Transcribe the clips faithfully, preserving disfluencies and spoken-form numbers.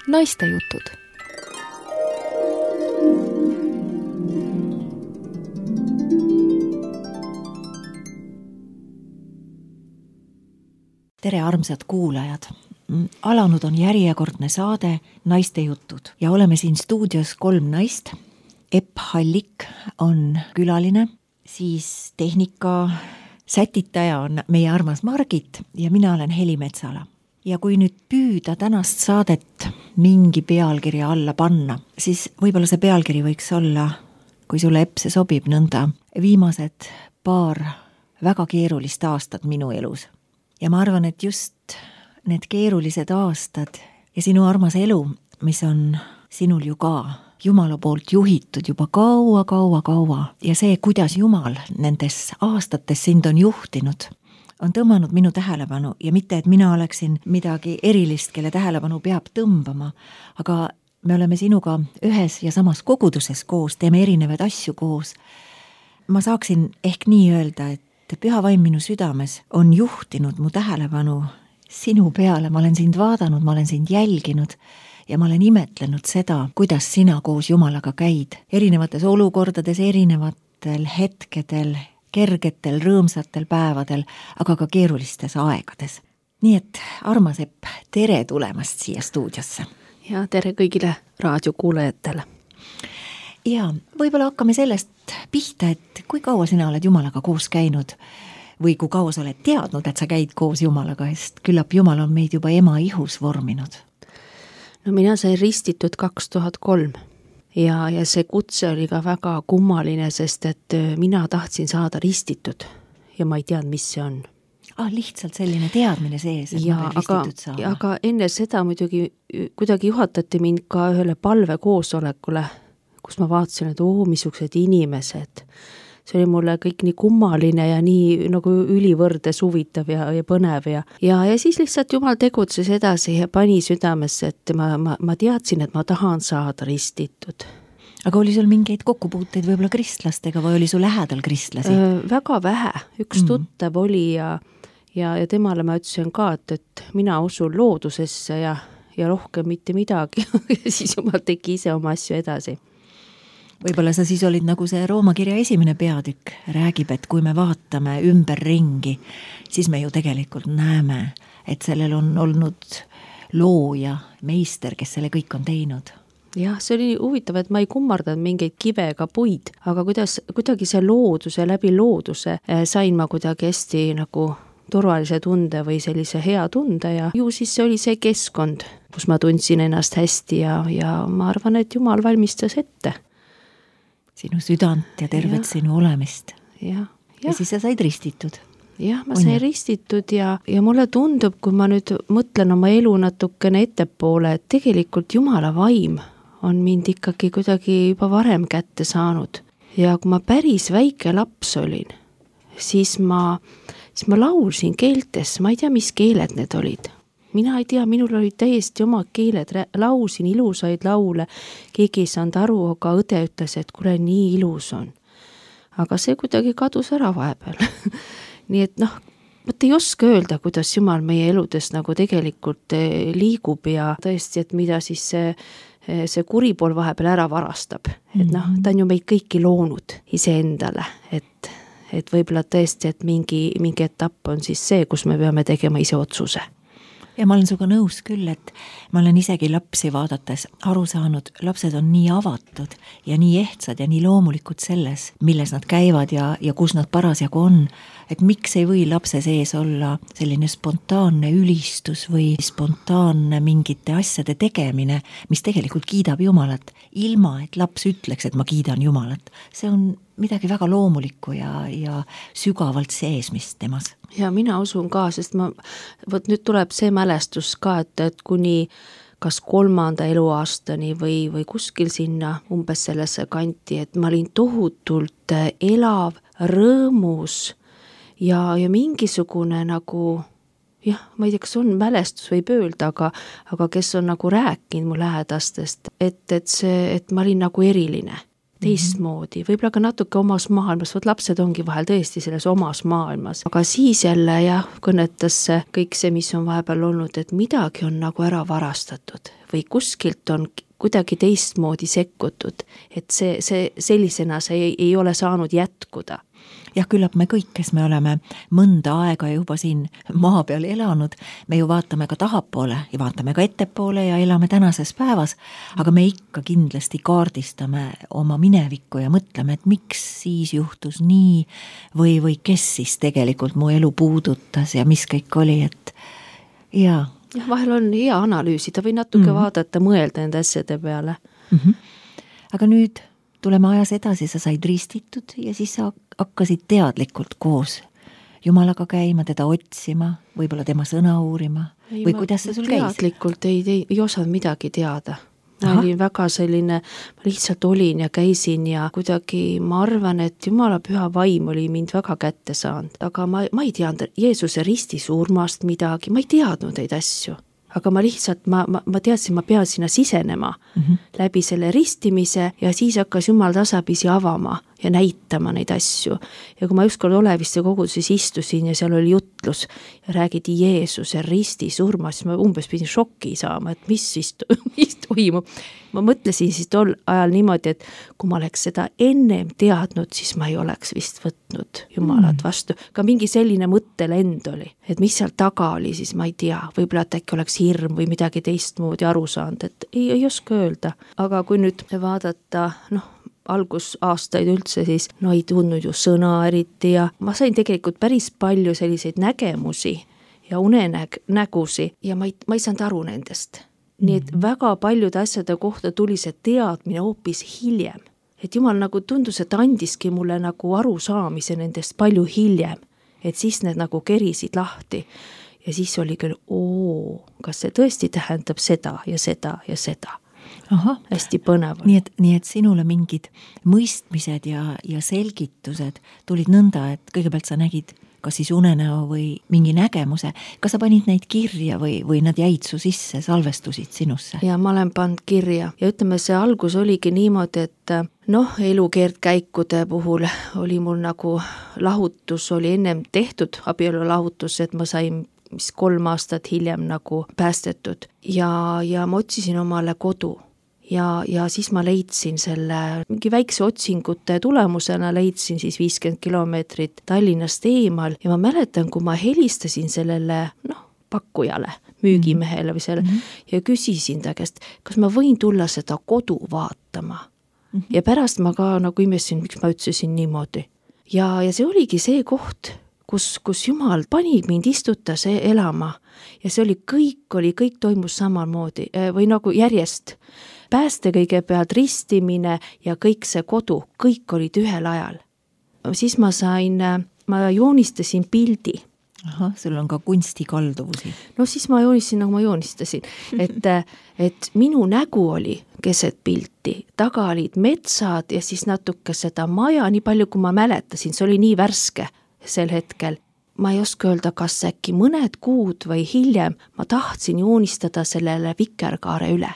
Naistejutud. Tere, armsad kuulajad! Alanud on järjekordne saade Naistejutud ja oleme siin stuudios kolm naist. Epp Hallik on külaline, siis tehnika sätitaja on meie armas Margit ja mina olen Heli Metsala. Ja kui nüüd püüda tänast saadet mingi pealkirja alla panna, siis võib-olla see pealkiri võiks olla, kui sulle, Epp, see sobib nõnda, viimased paar väga keerulist aastat minu elus. Ja ma arvan, et just need keerulised aastad ja sinu armas elu, mis on sinul ju ka Jumala poolt juhitud juba kaua, kaua, kaua ja see, kuidas Jumal nendes aastates sind on juhtinud, on tõmmanud minu tähelepanu ja mitte, et mina oleksin midagi erilist, kelle tähelepanu peab tõmbama, aga me oleme sinuga ühes ja samas koguduses koos, teeme erinevaid asju koos. Ma saaksin ehk nii öelda, et Püha Vaim minu südames on juhtinud mu tähelepanu sinu peale, ma olen sind vaadanud, ma olen sind jälginud ja ma olen imetlenud seda, kuidas sina koos Jumalaga käid erinevates olukordades, erinevatel hetkedel, kergetel, rõõmsatel päevadel, aga ka keerulistes aegades. Nii et, armas Epp, tere tulemast siia stuudiosse. Ja tere kõigile raadiokuulajatele. Ja võib-olla hakkame sellest pihta, et kui kaua sina oled Jumalaga koos käinud või kui kaua sa oled teadnud, et sa käid koos Jumalaga, sest küllap Jumal on meid juba ema ihus vorminud. No mina sain ristitud kaks tuhat kolm ja, ja see kutse oli ka väga kummaline, sest et mina tahtsin saada ristitud ja ma ei teadnud, mis see on. Ah, lihtsalt selline teadmine sees, et ja, ma olen ristitud saada. Aga enne seda muidugi kuidagi juhatati mind ka ühele palvekoosolekule, kus ma vaatasin, et oo, missugused inimesed. See oli mulle kõik nii kummaline ja nii nagu ülivõrdes huvitav ja, ja põnev. Ja, ja, ja siis lihtsalt Jumal tegutses edasi ja pani südamesse, et ma, ma, ma teadsin, et ma tahan saada ristitud. Aga oli sul mingeid kokkupuuteid võib-olla kristlastega või oli sul lähedal kristlasi? Äh, väga vähe. Üks mm. tuttav oli ja, ja, ja temale ma ütlesin ka, et, et mina usun loodusesse ja, ja rohkem mitte midagi. Ja siis Jumal tegi ise oma asju edasi. Võib-olla sa siis olid nagu see Rooma kirja esimene peatükk räägib, et kui me vaatame ümber ringi, siis me ju tegelikult näeme, et sellel on olnud looja, meister, kes selle kõik on teinud. Jah, see oli huvitav, et ma ei kummardanud mingeid kive ega puid, aga kuidas, kuidagi see looduse, läbi looduse sain ma kuidagi hästi nagu turvalise tunde või sellise hea tunde ja ju siis see oli see keskkond, kus ma tundsin ennast hästi ja, ja ma arvan, et Jumal valmistas ette. Sinu südant ja tervet ja. Sinu olemist. Ja, ja. ja siis sa said ristitud. Jah, ma sain ristitud ja, ja mulle tundub, kui ma nüüd mõtlen oma elu natukene ettepoole, et tegelikult Jumala vaim on mind ikkagi kuidagi juba varem kätte saanud. Ja kui ma päris väike laps olin, siis ma, siis ma laulsin keeltes, ma ei tea, mis keeled need olid. Mina ei tea, minul oli täiesti oma keeled, lausin ilusaid laule, keegi ei saanud aru, aga õde ütles, et kuule, nii ilus on. Aga see kuidagi kadus ära vahepeal. Nii et noh, võt ei oska öelda, kuidas Jumal meie eludes nagu tegelikult liigub ja tõesti, et mida siis see, see kuri pool vahepeal ära varastab. Et noh, ta on ju meid kõiki loonud iseendale, et, et võib-olla tõesti, et mingi, mingi etapp on siis see, kus me peame tegema ise otsuse. Ja ma olen suga nõus küll, et ma olen isegi lapsi vaadates aru saanud, lapsed on nii avatud ja nii ehtsad ja nii loomulikud selles, milles nad käivad ja, ja kus nad parasjagu on, et miks ei või lapse sees olla selline spontaanne ülistus või spontaanne mingite asjade tegemine, mis tegelikult kiidab Jumalat, ilma et laps ütleks, et ma kiidan Jumalat. See on midagi väga loomulikku ja, ja sügavalt seesmist temas. Ja mina usun ka, sest ma, võt nüüd tuleb see mälestus ka, et, et kuni kas kolmanda eluaastani või, või kuskil sinna umbes sellesse kanti, et ma olin tohutult elav, rõõmus ja, ja mingisugune nagu, jah, ma ei tea, kas on mälestus võib öelda, aga, aga kes on nagu rääkinud mu lähedastest, et, et see, et ma olin nagu eriline. teistmoodi, võib-olla ka natuke omas maailmas, võt lapsed ongi vahel tõesti selles omas maailmas, aga siis jälle jah, kõnetas see kõik see, mis on vahepeal olnud, et midagi on nagu ära varastatud või kuskilt on kuidagi teistmoodi sekkutud, et see, see sellisena see ei, ei ole saanud jätkuda. Jah, küllap me kõik, kes me oleme mõnda aega juba siin maa peal elanud, me ju vaatame ka tahapoole ja vaatame ka ettepoole ja elame tänases päevas, aga me ikka kindlasti kaardistame oma minevikku ja mõtleme, et miks siis juhtus nii või, või kes siis tegelikult mu elu puudutas ja mis kõik oli, et jaa. Jah, vahel on hea analüüsida või natuke mm-hmm. vaadata, mõelda nende asjade peale. Mm-hmm. Aga nüüd tuleme ajas edasi, sa said ristitud ja siis sa hakkasid teadlikult koos Jumalaga käima, teda otsima, võib-olla tema sõna uurima ei, või ma, kuidas see sul käis? Teadlikult ei, ei, ei osanud midagi teada. Ma Aha. olin väga selline, ma lihtsalt olin ja käisin ja kuidagi ma arvan, et Jumala püha vaim oli mind väga kätte saanud, aga ma, ma ei teadnud Jeesuse risti surmast midagi, ma ei teadnud neid asju. Aga ma lihtsalt, ma, ma, ma teadsin, ma pean sinna sisenema mm-hmm. läbi selle ristimise ja siis hakkas Jumal tasapisi avama ja näitama neid asju. Ja kui ma ükskord Oleviste koguduses istusin ja seal oli jutlus ja räägiti Jeesuse risti surma, siis ma umbes pidin šokki saama, et mis siis mis toimub. Ma mõtlesin siis tol ajal niimoodi, et kui ma oleks seda ennem teadnud, siis ma ei oleks vist võtnud Jumalat vastu. Ka mingi selline mõttelend oli, et mis seal taga oli, siis ma ei tea. Võib-olla et äkki oleks hirm või midagi teistmoodi aru saanud, et ei, ei oska öelda. Aga kui nüüd vaadata, noh, algusaastaid üldse, siis no ei tundnud ju sõna eriti ja ma sain tegelikult päris palju selliseid nägemusi ja unenägusi ja ma ei, ma ei saanud aru nendest. Nii et väga paljude asjade kohta tuli see teadmine hoopis hiljem. Et Jumal nagu tundus, et andiski mulle nagu arusaamise nendest palju hiljem, et siis need nagu kerisid lahti. Ja siis oli küll, oo, kas see tõesti tähendab seda ja seda ja seda. Aha. Hästi põnev. Nii et, nii et sinule mingid mõistmised ja, ja selgitused tulid nõnda, et kõigepealt sa nägid kas siis unenäo või mingi nägemuse. Kas sa panid neid kirja või, või nad jäid su sisse, salvestusid sinusse? Ja ma olen pannud kirja ja ütleme, see algus oligi niimoodi, et noh, elukeerdkäikude puhul oli mul nagu lahutus, oli ennem tehtud abielulahutus, et ma sain mis kolm aastat hiljem nagu päästetud ja, ja ma otsisin omale kodu. Ja, ja siis ma leidsin selle mingi väikse otsingute tulemusena, leidsin siis viiskümmend kilomeetrit Tallinnast eemal ja ma mäletan, kui ma helistasin sellele noh, pakkujale, müügimehele või selle mm-hmm. ja küsisin ta käest, kas ma võin tulla seda kodu vaatama. Mm-hmm. Ja pärast ma ka nagu imesin, miks ma ütlesin niimoodi. Ja, ja see oligi see koht, kus, kus Jumal pani mind istutas elama ja see oli kõik, oli, kõik toimus samamoodi või nagu järjest. Pääste kõigepealt ristimine ja kõik see kodu, kõik olid ühel ajal. Siis ma sain, ma joonistasin pildi. Aha, sul on ka kunstikalduvusi. No siis ma joonistasin, nagu ma joonistasin, et, et minu nägu oli keset pilti, taga olid metsad ja siis natuke seda maja, nii palju kui ma mäletasin, see oli nii värske sel hetkel. Ma ei oska öelda, kas äkki mõned kuud või hiljem ma tahtsin joonistada sellele vikerkaare üle.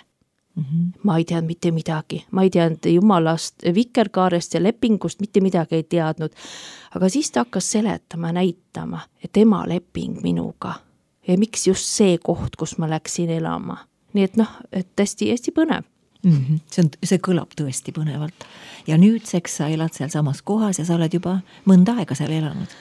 Mm-hmm. Ma ei teadnud mitte midagi, ma ei teadnud Jumalast, vikerkaarest ja lepingust mitte midagi ei teadnud, aga siis ta hakkas seletama, näitama, et tema leping minuga ja miks just see koht, kus ma läksin elama. Nii et noh, et hästi, hästi põnev. Mm-hmm. See, on, see kõlab tõesti põnevalt ja nüüdseks sa elad seal samas kohas ja sa oled juba mõnda aega seal elanud.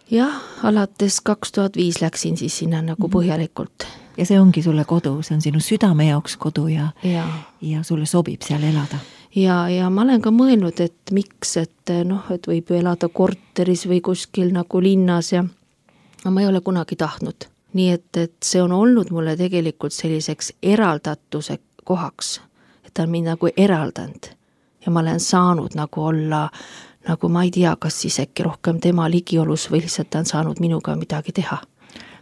Jah, alates kaks tuhat viis läksin siis sinna nagu põhjalikult. Ja see ongi sulle kodu, see on sinu südame jaoks kodu ja, ja. ja sulle sobib seal elada. Ja, ja ma olen ka mõelnud, et miks, et noh, et võib ju elada korteris või kuskil nagu linnas ja ma ei ole kunagi tahtnud. Nii et, et see on olnud mulle tegelikult selliseks eraldatuse kohaks, et ta on mind nagu eraldanud ja ma olen saanud nagu olla nagu ma ei tea, kas siis äkki rohkem tema ligiolus või lihtsalt ta on saanud minuga midagi teha.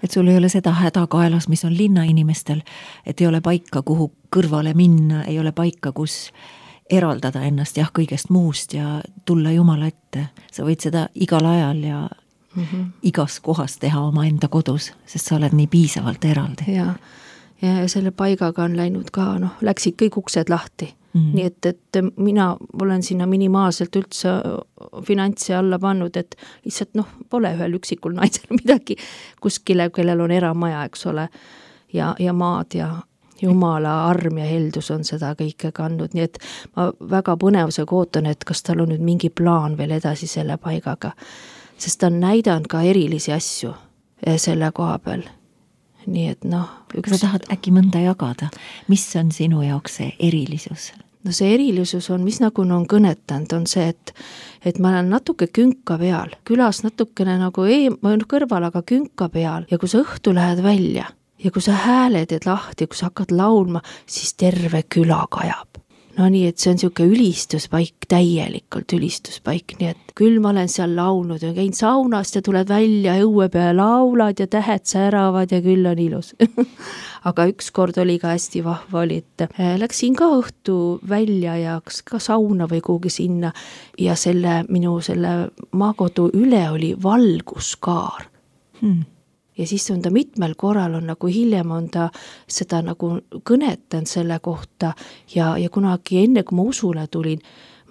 Et sul ei ole seda häda kaelas, mis on linna inimestel, et ei ole paika, kuhu kõrvale minna, ei ole paika, kus eraldada ennast jah kõigest muust ja tulla Jumala ette. Sa võid seda igal ajal ja mm-hmm. igas kohas teha oma enda kodus, sest sa oled nii piisavalt eraldi. Ja, ja selle paigaga on läinud ka, noh, läksid kõik uksed lahti. Mm-hmm. Nii et, et mina olen sinna minimaalselt üldse finantsi alla pannud, et lihtsalt noh, pole ühel üksikul naisel midagi kuskile, kellel on eramaja, eks ole, ja, ja maad ja Jumala arm ja heldus on seda kõike kandnud, nii et ma väga põnevusega ootan, et kas tal on nüüd mingi plaan veel edasi selle paigaga, sest ta on näidanud ka erilisi asju selle koha peal. Nii et noh, üks... Kas sa tahad äkki mõnda jagada? Mis on sinu jaoks see erilisus? No see erilisus on, mis nagu on kõnetanud, on see, et, et ma olen natuke künka peal, külas natukene nagu ei, ma olen kõrval, aga künka peal ja kui sa õhtu lähed välja ja kui sa hääled teed lahti, kui sa hakkad laulma, siis terve küla kajab. No nii, et see on siuke ülistuspaik, täielikult ülistuspaik, nii et küll ma olen seal laulnud ja käin saunast ja tuled välja õue peale, laulad ja tähed säravad ja küll on ilus. Aga üks kord oli ka hästi vahva oli, et läksin ka õhtu välja ja ka sauna või kuhugi sinna ja selle minu selle maakodu üle oli valguskaar. Hmm. Ja siis on ta mitmel korral on nagu hiljem on ta seda nagu kõnetanud selle kohta ja, ja kunagi enne, kui ma usule tulin,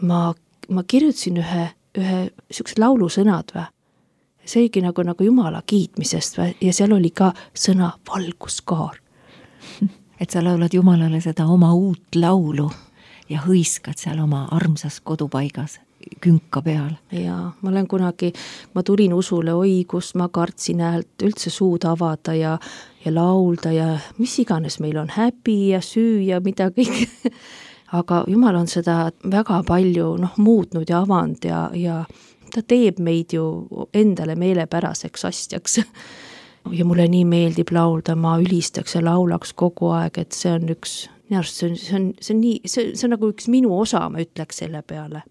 ma, ma kirjutasin ühe, ühe sükse laulusõnad või. See oligi nagu, nagu Jumala kiitmisest või, ja seal oli ka sõna valguskaar. Et sa laulad Jumalale seda oma uut laulu ja hõiskad seal oma armsas kodupaigas künka peal. Ja ma olen kunagi, ma tulin usule, oi, kus ma kartsin häält üldse suud avada ja, ja laulda ja mis iganes meil on häbi ja süü ja mida kõik. Aga Jumal on seda väga palju noh, muutnud ja avanud ja, ja ta teeb meid ju endale meelepäraseks asjaks. Ja mulle nii meeldib laulda, ma ülistaks ja laulaks kogu aeg, et see on üks, see on, see on, see on nii, see, see on nagu üks minu osa, ma ütleks selle peale.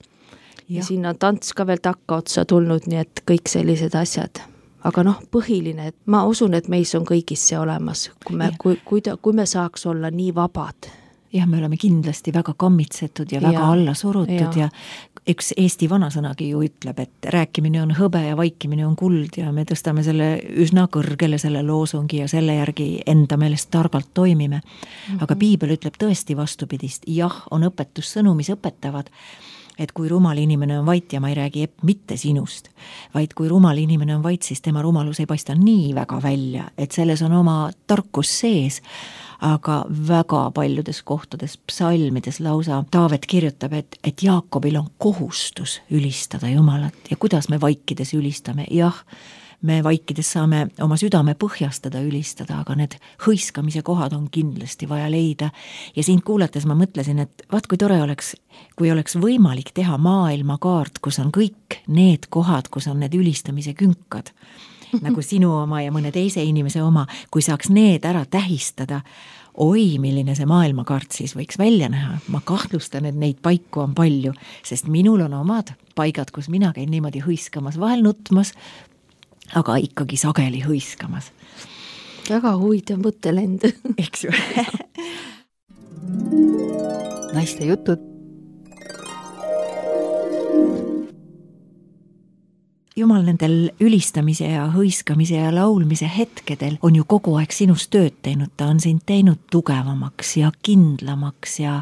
Ja, ja siin on tants ka veel takka otsa tulnud, nii et kõik sellised asjad. Aga noh, põhiline, et ma usun, et meis on kõigis see olemas, kui me, kui, kui, ta, kui me saaks olla nii vabad. Ja me oleme kindlasti väga kammitsetud ja väga ja, alla surutud ja. ja üks Eesti vanasõnagi ju ütleb, et rääkimine on hõbe ja vaikimine on kuld ja me tõstame selle üsna kõrgele selle loosungi ja selle järgi enda meelest targalt toimime. Mm-hmm. Aga piibel ütleb tõesti vastupidist. Jah, on õpetussõnu, mis õpetavad, et kui rumal inimene on vait ja ma ei räägi mitte sinust, vaid kui rumal inimene on vait, siis tema rumalus ei paista nii väga välja, et selles on oma tarkus sees, aga väga paljudes kohtades, psalmides lausa Taavet kirjutab, et, et Jaakobil on kohustus ülistada Jumalat ja kuidas me vaikides ülistame, jah, me vaikides saame oma südame põhjastada, ülistada, aga need hõiskamise kohad on kindlasti vaja leida. Ja sind kuulates ma mõtlesin, et vaat kui tore oleks, kui oleks võimalik teha maailmakaart, kus on kõik need kohad, kus on need ülistamise künkad, nagu sinu oma ja mõne teise inimese oma, kui saaks need ära tähistada, oi, milline see maailmakaart siis võiks välja näha. Ma kahtlustan, et neid paiku on palju, sest minul on omad paigad, kus mina käin niimoodi hõiskamas, vahel nutmas, aga ikkagi sageli hõiskamas. Väga huvitav mõttelend. Eks ju. Naiste jutud. Jumal nendel ülistamise ja hõiskamise ja laulmise hetkedel on ju kogu aeg sinust tööd teinud, ta on sind teinud tugevamaks ja kindlamaks ja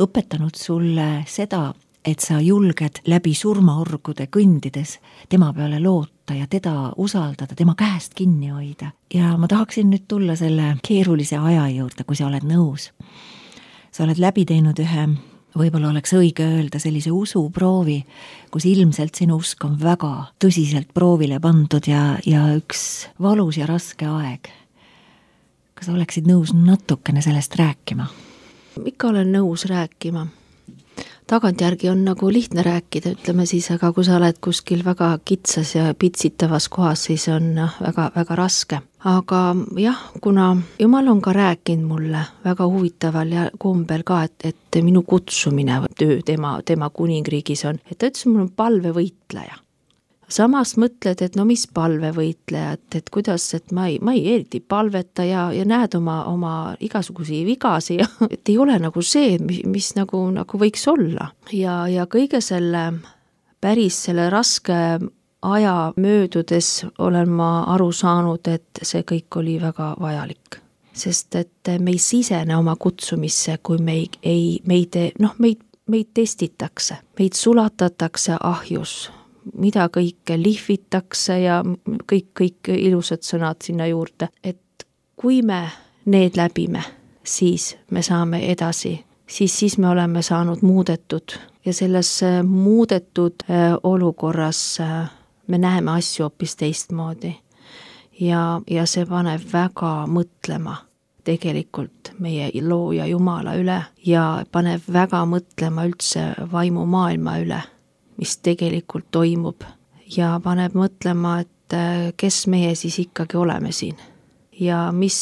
õpetanud sulle seda, et sa julged läbi surmaorgude kõndides tema peale loota ja teda usaldada, tema käest kinni hoida. Ja ma tahaksin nüüd tulla selle keerulise aja juurde, kui sa oled nõus. Sa oled läbi teinud ühe, võib-olla oleks õige öelda sellise usuproovi, kus ilmselt sinu usk on väga tõsiselt proovile pandud ja, ja üks valus ja raske aeg. Kas oleksid nõus natukene sellest rääkima? Ikka olen nõus rääkima. Tagantjärgi on nagu lihtne rääkida, ütleme siis, aga kui sa oled kuskil väga kitsas ja pitsitavas kohas, siis on väga, väga raske. Aga jah, kuna Jumal on ka rääkinud mulle väga huvitaval ja kombel ka, et, et minu kutsumine töö tema, tema kuningriigis on, et ta ütles, mul on palvevõitleja. Samas mõtled, et no mis palvevõitleja, et, et kuidas, et ma ei, ma ei eriti palveta ja, ja näed oma, oma igasugusi vigasi, et ei ole nagu see, mis, mis nagu, nagu võiks olla. Ja, ja kõige selle päris selle raske aja möödudes olen ma aru saanud, et see kõik oli väga vajalik. sest et me ei sisene oma kutsumisse, kui me ei, ei meid, noh, meid, meid testitakse, meid sulatatakse ahjus, mida kõike lihvitakse ja kõik, kõik ilusad sõnad sinna juurde, et kui me need läbime, siis me saame edasi, siis, siis me oleme saanud muudetud ja selles muudetud olukorras me näeme asju hoopis teistmoodi ja, ja see paneb väga mõtlema tegelikult meie looja Jumala üle ja paneb väga mõtlema üldse vaimumaailma üle, mis tegelikult toimub ja paneb mõtlema, et kes meie siis ikkagi oleme siin ja mis,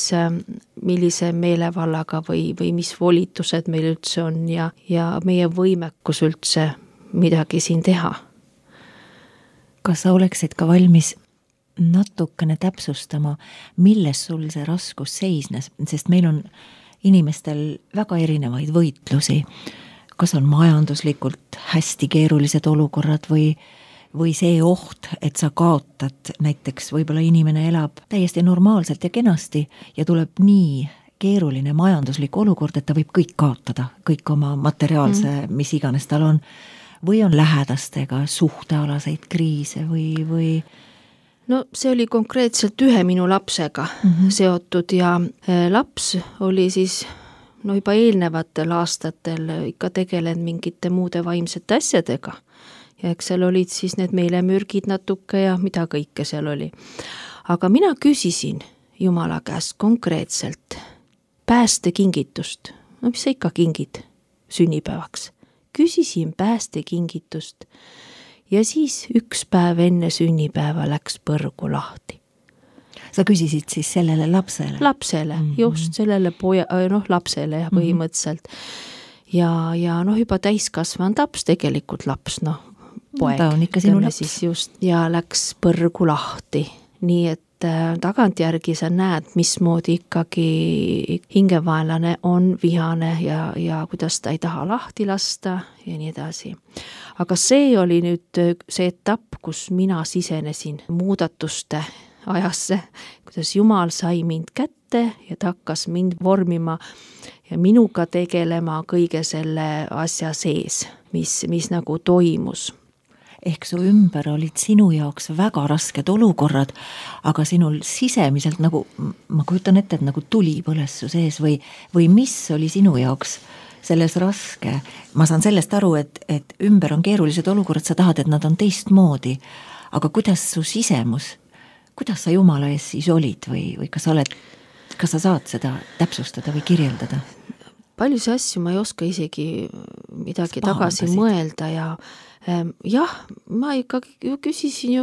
millise meelevallaga või, või mis volitused meil üldse on ja, ja meie võimekus üldse midagi siin teha. Kas sa oleksid ka valmis natukene täpsustama, milles sul see raskus seisnes, sest meil on inimestel väga erinevaid võitlusi, kas on majanduslikult hästi keerulised olukorrad või, või see oht, et sa kaotad, näiteks võib-olla inimene elab täiesti normaalselt ja kenasti ja tuleb nii keeruline majanduslik olukord, et ta võib kõik kaotada, kõik oma materiaalse, mm. mis iganes tal on, või on lähedastega suhtealaseid kriise või, või no see oli konkreetselt ühe minu lapsega mm-hmm. seotud ja laps oli siis no juba eelnevatel aastatel ikka tegelenud mingite muude vaimsete asjadega ja eks seal olid siis need meelemürgid natuke ja mida kõike seal oli. Aga mina küsisin Jumala käest konkreetselt päästekingitust, no mis sa ikka kingid sünnipäevaks, küsisin päästekingitust ja siis üks päev enne sünnipäeva läks põrgu lahti. Sa küsisid siis sellele lapsele? Lapsele, mm-hmm. just sellele poja, noh lapsele ja põhimõtteliselt. Mm-hmm. Ja, ja noh juba täiskasvanud laps, tegelikult laps, noh poeg. Ta on ikka sinu laps. Siis just, ja läks põrgu lahti, nii et tagantjärgi sa näed, mismoodi ikkagi hingevaenlane on vihane ja, ja kuidas ta ei taha lahti lasta ja nii edasi. Aga see oli nüüd see etapp, kus mina sisenesin muudatuste ajasse, kuidas Jumal sai mind kätte ja ta hakkas mind vormima ja minuga tegelema kõige selle asja sees, mis, mis nagu toimus. Ehk su ümber olid sinu jaoks väga rasked olukorrad, aga sinul sisemiselt nagu, ma kujutan ette, et nagu tuli põles su sees või, või mis oli sinu jaoks selles raske? Ma saan sellest aru, et, et ümber on keerulised olukorrad, sa tahad, et nad on teistmoodi, aga kuidas su sisemus, kuidas sa Jumala ees siis olid või, või kas sa oled, kas sa saad seda täpsustada või kirjeldada? Paljusi asju ma ei oska isegi midagi tagasi mõelda ja jah, ma ikka küsisin ju,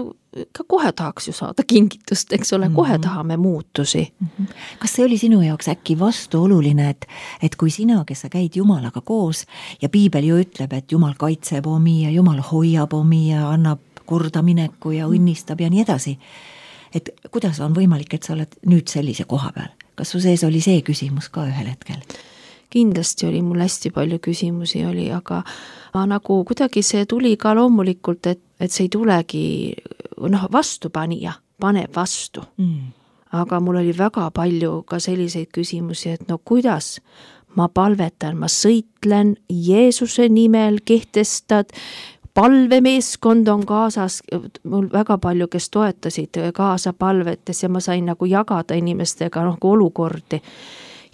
ka kohe tahaks ju saada kingitust, eks ole, kohe tahame muutusi. Kas see oli sinu jaoks äkki vastuoluline, et, et kui sina, kes sa käid Jumalaga koos ja piibel ju ütleb, et Jumal kaitseb omi ja Jumal hoiab omi ja annab kordamineku ja õnnistab ja nii edasi, et kuidas on võimalik, et sa oled nüüd sellise koha peal? Kas su sees oli see küsimus ka ühel hetkel? Kindlasti oli mul hästi palju küsimusi oli, aga nagu kuidagi see tuli ka loomulikult, et, et see ei tulegi, noh vastupanija, paneb vastu. Mm. Aga mul oli väga palju ka selliseid küsimusi, et no kuidas ma palvetan, ma sõitlen Jeesuse nimel, kehtestad, palvemeeskond on kaasas, mul väga palju, kes toetasid kaasa palvetes ja ma sain nagu jagada inimestega noh, olukordi.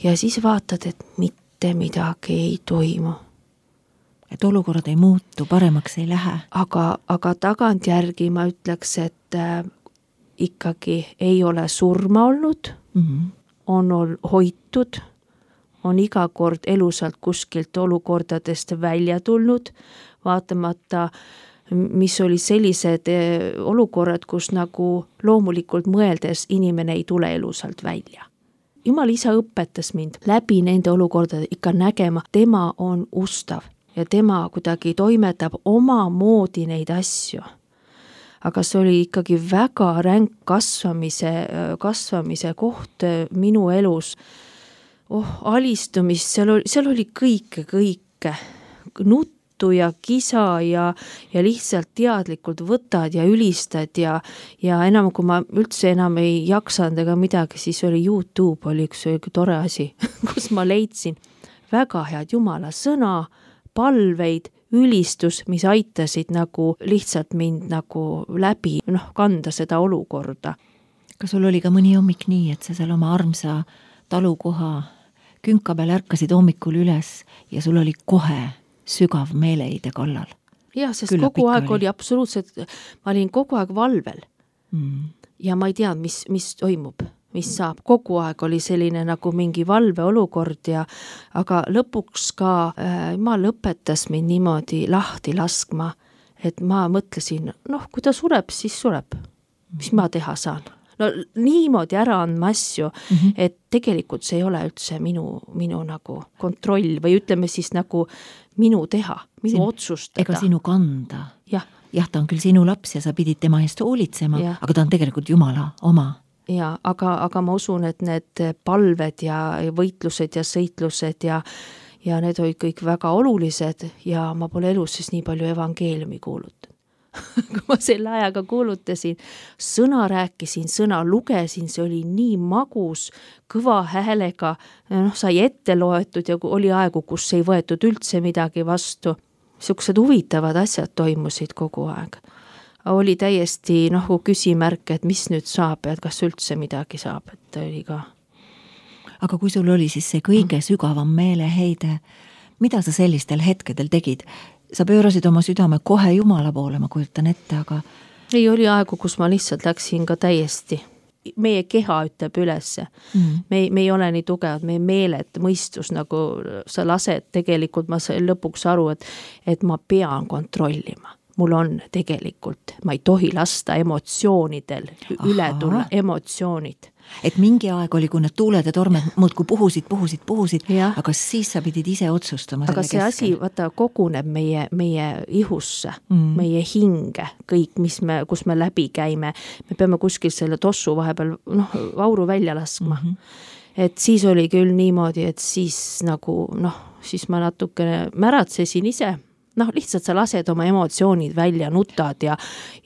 Ja siis vaatad, et mitte midagi ei toimu. Et olukorrad ei muutu, paremaks ei lähe. Aga, aga tagantjärgi ma ütleks, et äh, ikkagi ei ole surma olnud, mm-hmm. on ol, hoitud, on iga kord elusalt kuskilt olukordadest välja tulnud, vaatamata, mis oli sellised olukorrad, kus nagu loomulikult mõeldes inimene ei tule elusalt välja. Jumal isa õpetas mind läbi nende olukordade ikka nägema, tema on ustav ja tema kuidagi toimetab oma moodi neid asju. Aga see oli ikkagi väga ränk kasvamise, kasvamise koht minu elus. Oh, alistumist, seal oli, seal oli kõike, kõike. Nutt juttu ja kisa ja, ja lihtsalt teadlikult võtad ja ülistad ja, ja enam kui ma üldse enam ei jaksanud ega midagi, siis oli YouTube oli üks tore asi, kus ma leidsin väga head jumala sõna, palveid, ülistus, mis aitasid nagu lihtsalt mind nagu läbi noh, kanda seda olukorda. Kas sul oli ka mõni hommik nii, et sa seal oma armsa talukoha künka peal ärkasid hommikul üles ja sul oli kohe sügav meeleheide kallal? Jah, sest Külla kogu aeg oli, oli absoluutselt, ma olin kogu aeg valvel mm. ja ma ei teadnud, mis, mis toimub, mis saab. Kogu aeg oli selline nagu mingi valve olukord ja aga lõpuks ka äh, ma lõpetas mind niimoodi lahti laskma, et ma mõtlesin, noh, kui ta sureb, siis sureb. Mis ma teha saan? No niimoodi ära andma asju, mm -hmm. et tegelikult see ei ole üldse minu, minu nagu kontroll või ütleme siis nagu minu teha, minu Sin, otsustada. Ega sinu kanda. Jah. Jah, ta on küll sinu laps ja sa pidid tema eest hoolitsema, ja. Aga ta on tegelikult Jumala oma. Ja, aga, aga ma usun, et need palved ja võitlused ja sõitlused ja, ja need olid kõik väga olulised ja ma pole elus siis nii palju evangeeliumi kuulutanud. Kui ma selle ajaga kuulutasin, sõna rääkisin, sõna lugesin, see oli nii magus, kõva häälega, noh, sai ette loetud ja oli aegu, kus ei võetud üldse midagi vastu. Siuksed huvitavad asjad toimusid kogu aeg. Oli täiesti noh, küsimärk, et mis nüüd saab ja et kas üldse midagi saab, et oli ka. Aga kui sul oli siis see kõige sügavam meeleheide, mida sa sellistel hetkedel tegid? Sa pöörasid oma südame kohe Jumala poole, ma kujutan ette, aga... Ei, oli aegu, kus ma lihtsalt läksin ka täiesti. Meie keha ütleb ülesse. Mm. Me, me ei ole nii tugevad, meie meeled, mõistus, nagu sa lased, tegelikult ma sain lõpuks aru, et, et ma pean kontrollima. Mul on tegelikult, ma ei tohi lasta emotsioonidel, Aha. üle tulla emotsioonid. Et mingi aeg oli, kui need tuuled ja tormed muudkui puhusid, puhusid, puhusid, ja. Aga siis sa pidid ise otsustama aga see keskel. Asi, vaata, koguneb meie, meie ihusse, mm. meie hinge, kõik, mis me, kus me läbi käime. Me peame kuskil selle tossu vahepeal noh, auru välja laskma. Mm-hmm. Et siis oli küll niimoodi, et siis nagu noh, siis ma natuke märatsesin ise. Noh, lihtsalt sa lased oma emotsioonid välja, nutad ja,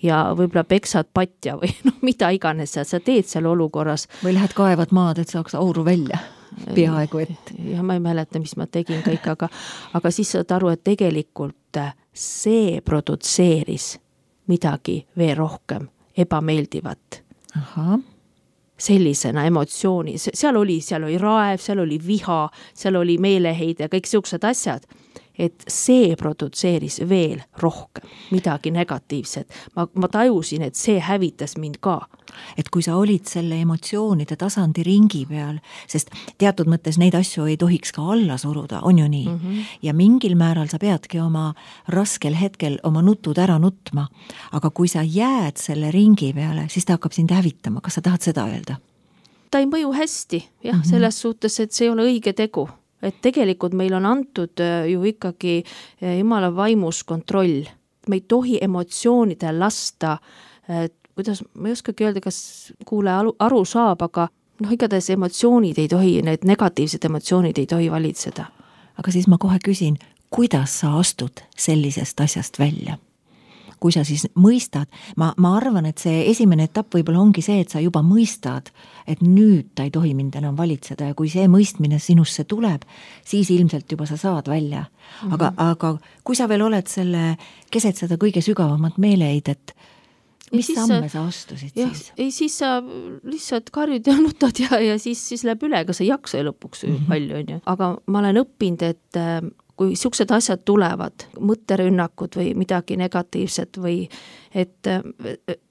ja võib-olla peksad patja või noh, mida iganes sa, sa teed seal olukorras. Või lähed kaevad maad, et saaks auru välja peaaegu et. Ja ma ei mäleta, mis ma tegin kõik, aga, aga siis saad aru, et tegelikult see produtseeris midagi veel rohkem ebameeldivat. Aha. Sellisena emotsiooni. Seal oli, seal oli raev, seal oli viha, seal oli meeleheide ja kõik siuksed asjad. Et see produtseeris veel rohkem midagi negatiivset. Ma, ma tajusin, et see hävitas mind ka. Et kui sa olid selle emotsioonide tasandi ringi peal, sest teatud mõttes neid asju ei tohiks ka alla suruda, on ju nii? Mm-hmm. Ja mingil määral sa peadki oma raskel hetkel oma nutud ära nutma. Aga kui sa jääd selle ringi peale, siis ta hakkab sind hävitama. Kas sa tahad seda öelda? Ta ei mõju hästi, jah, mm-hmm. selles suhtes, et see ei ole õige tegu. Et tegelikult meil on antud ju ikkagi Jumala vaimus kontroll. Me ei tohi emotsioonidel lasta, kuidas, ma ei oskagi öelda, kas kuule aru saab, aga noh, igatahes emotsioonid ei tohi, need negatiivsed emotsioonid ei tohi valitseda. Aga siis ma kohe küsin, kuidas sa astud sellisest asjast välja? Kui sa siis mõistad, ma, ma arvan, et see esimene etapp võib-olla ongi see, et sa juba mõistad, et nüüd ta ei tohi mind enam valitseda ja kui see mõistmine sinusse tuleb, siis ilmselt juba sa saad välja. Mm-hmm. Aga, aga kui sa veel oled selle, keset seda kõige sügavamat meeleheidet, mis siis samme sa astusid jah, siis? Ei, siis sa lihtsalt karjud ja nutad ja, ja siis, siis läheb üle, ega sa ei jaksa lõpuks mm-hmm. palju, on ju. Aga ma olen õppinud, et kui siuksed asjad tulevad, mõtterünnakud või midagi negatiivset või et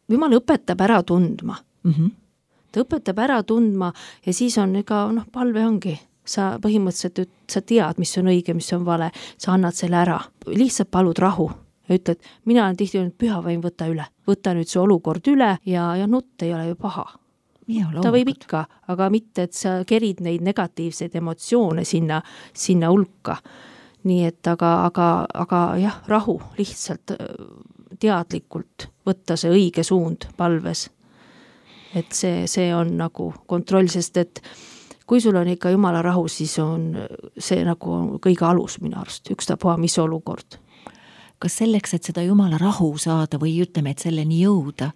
Jumal õpetab ära tundma. Mm-hmm. Ta õpetab ära tundma ja siis on ega noh, palve ongi. Sa põhimõtteliselt sa tead, mis on õige, mis on vale. Sa annad selle ära. Lihtsalt palud rahu ja ütled, mina olen tihti öelnud, püha vaim võtta üle. Võta nüüd see olukord üle ja, ja nutt ei ole ju paha. Ja, ta võib ikka, aga mitte, et sa kerid neid negatiivseid emotsioone sinna, sinna hulka. Nii et aga, aga, aga jah, rahu lihtsalt teadlikult võtta see õige suund palves. Et see, see on nagu kontroll, sest et kui sul on ikka Jumala rahu, siis on see nagu kõige alus minu arust, ükstapuha mis olukord. kas selleks, et seda Jumala rahu saada või ütleme, et selleni jõuda,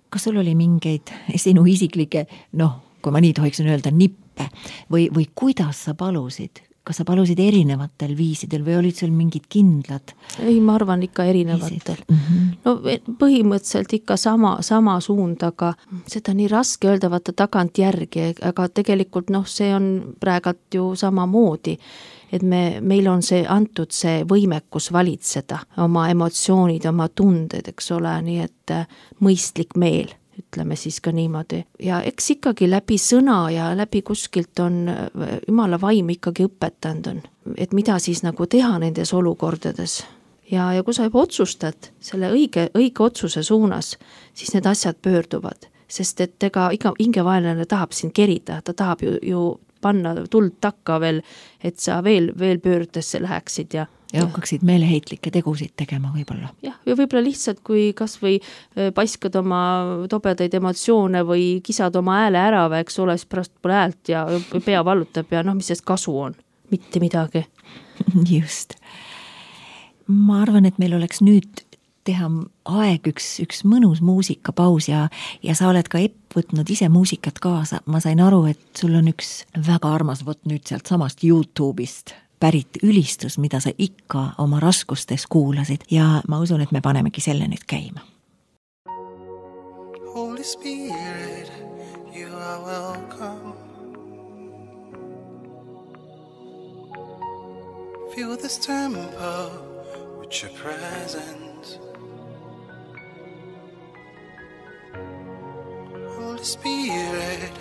kas sul oli mingeid sinu isiklikke, noh, kui ma nii tohiksin öelda, nippe või, või kuidas sa palusid? Kas sa palusid erinevatel viisidel või olid sul mingid kindlad? Ei, ma arvan ikka erinevatel. Mm -hmm. No põhimõtteliselt ikka sama, sama suund, aga seda nii raske öelda vaata tagant järgi, aga tegelikult noh, see on praegalt ju sama moodi, et me, meil on see antud see võimekus valitseda oma emotsioonid, oma tunded, eks ole, nii et mõistlik meel, ütleme siis ka niimoodi. Ja eks ikkagi läbi sõna ja läbi kuskilt on Jumala vaim ikkagi õpetanud on, et mida siis nagu teha nendes olukordades. Ja, ja kui sa juba otsustad selle õige, õige otsuse suunas, siis need asjad pöörduvad, sest et ega iga hingevaenlane tahab sind kerida, ta tahab ju, ju panna tuld takka veel, et sa veel, veel pöördesse läheksid ja ja hakkaksid meeleheitlikke tegusid tegema võib-olla. Jah, ja võib-olla lihtsalt, kui kas või paiskad oma tobedaid emotsioone või kisad oma hääle ära, või eks ole, siis pärast pole häält ja pea vallutab ja noh, mis sest kasu on? Mitte midagi. Just. Ma arvan, et meil oleks nüüd teha aeg üks, üks mõnus muusikapaus ja, ja sa oled ka Epp võtnud ise muusikat kaasa. Ma sain aru, et sul on üks väga armas võt nüüd sealt samast YouTube'ist pärit ülistus, mida sa ikka oma raskustes kuulasid ja ma usun, et me panemegi selle nüüd käima. Holy Spirit, you are welcome. Fill this temple with your presence. Holy Spirit,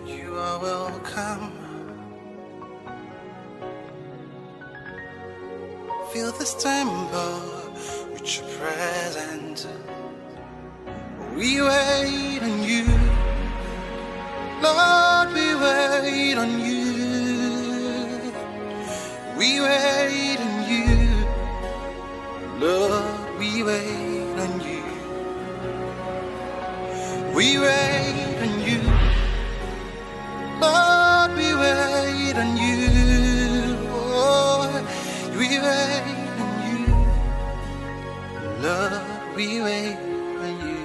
you are welcome. Fill this temple with your presence. We wait on you, Lord, we wait on you. We wait on you, Lord, we wait on you. We wait on you, Lord, we wait on you. Oh, we wait on you, Lord, we wait on you.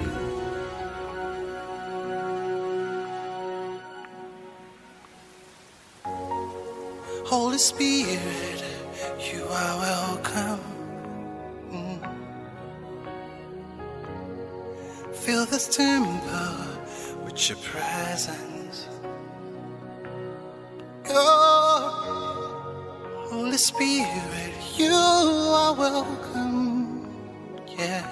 Holy Spirit, you are welcome. Mm. Fill this temple with your presence. Oh, Holy Spirit, you are welcome. Yeah.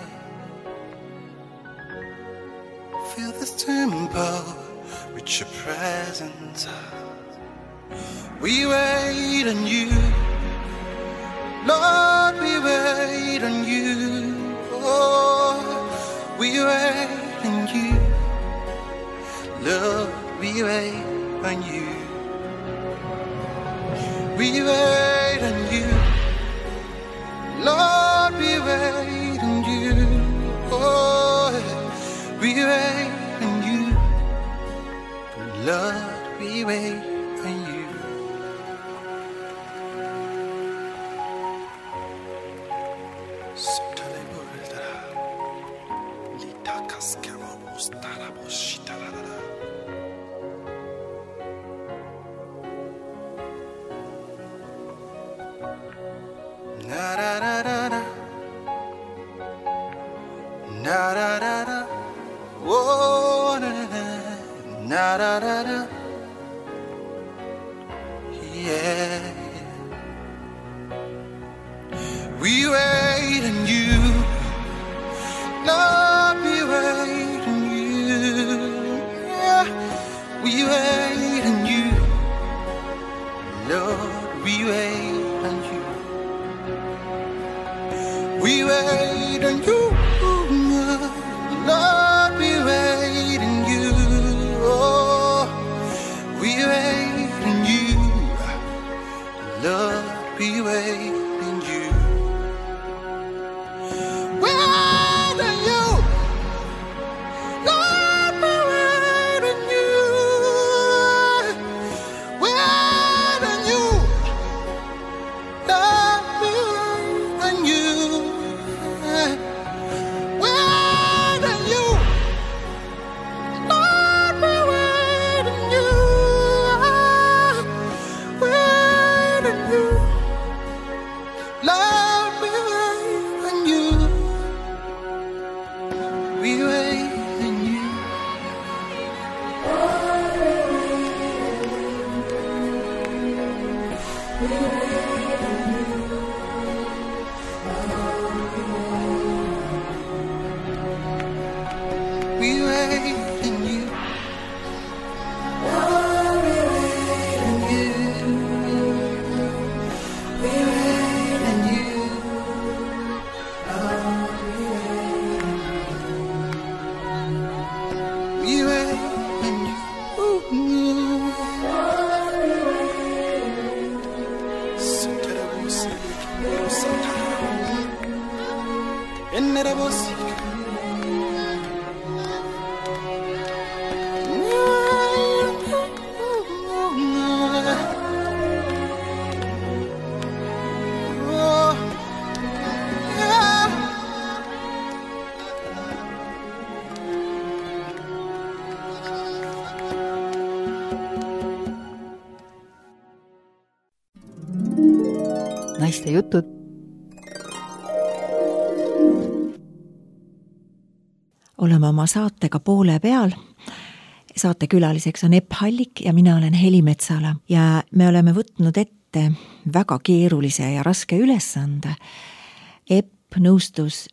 Fill this temple with your presence. We wait on you, Lord, we wait on you. Oh, we wait on you, Lord, we wait on you. We wait on you, Lord, we wait on you. Oh, we wait on you, Lord, we wait on you. Na da da da da, na da da da, oh na na da da da, yeah. We wait on you, Lord, we wait on you, yeah. We wait on you, Lord, we wait on you. We wait on you, Lord, we wait on you. Oh, we wait on you, Lord, we wait on you. We wait on you, Lord, we wait on you. We wait on you, Lord, we wait on you. naiste jutud. Oleme oma saatega poole peal. Saatekülaliseks on Epp Hallik ja mina olen Heli Metsala ja me oleme võtnud ette väga keerulise ja raske ülesande. Epp nõustus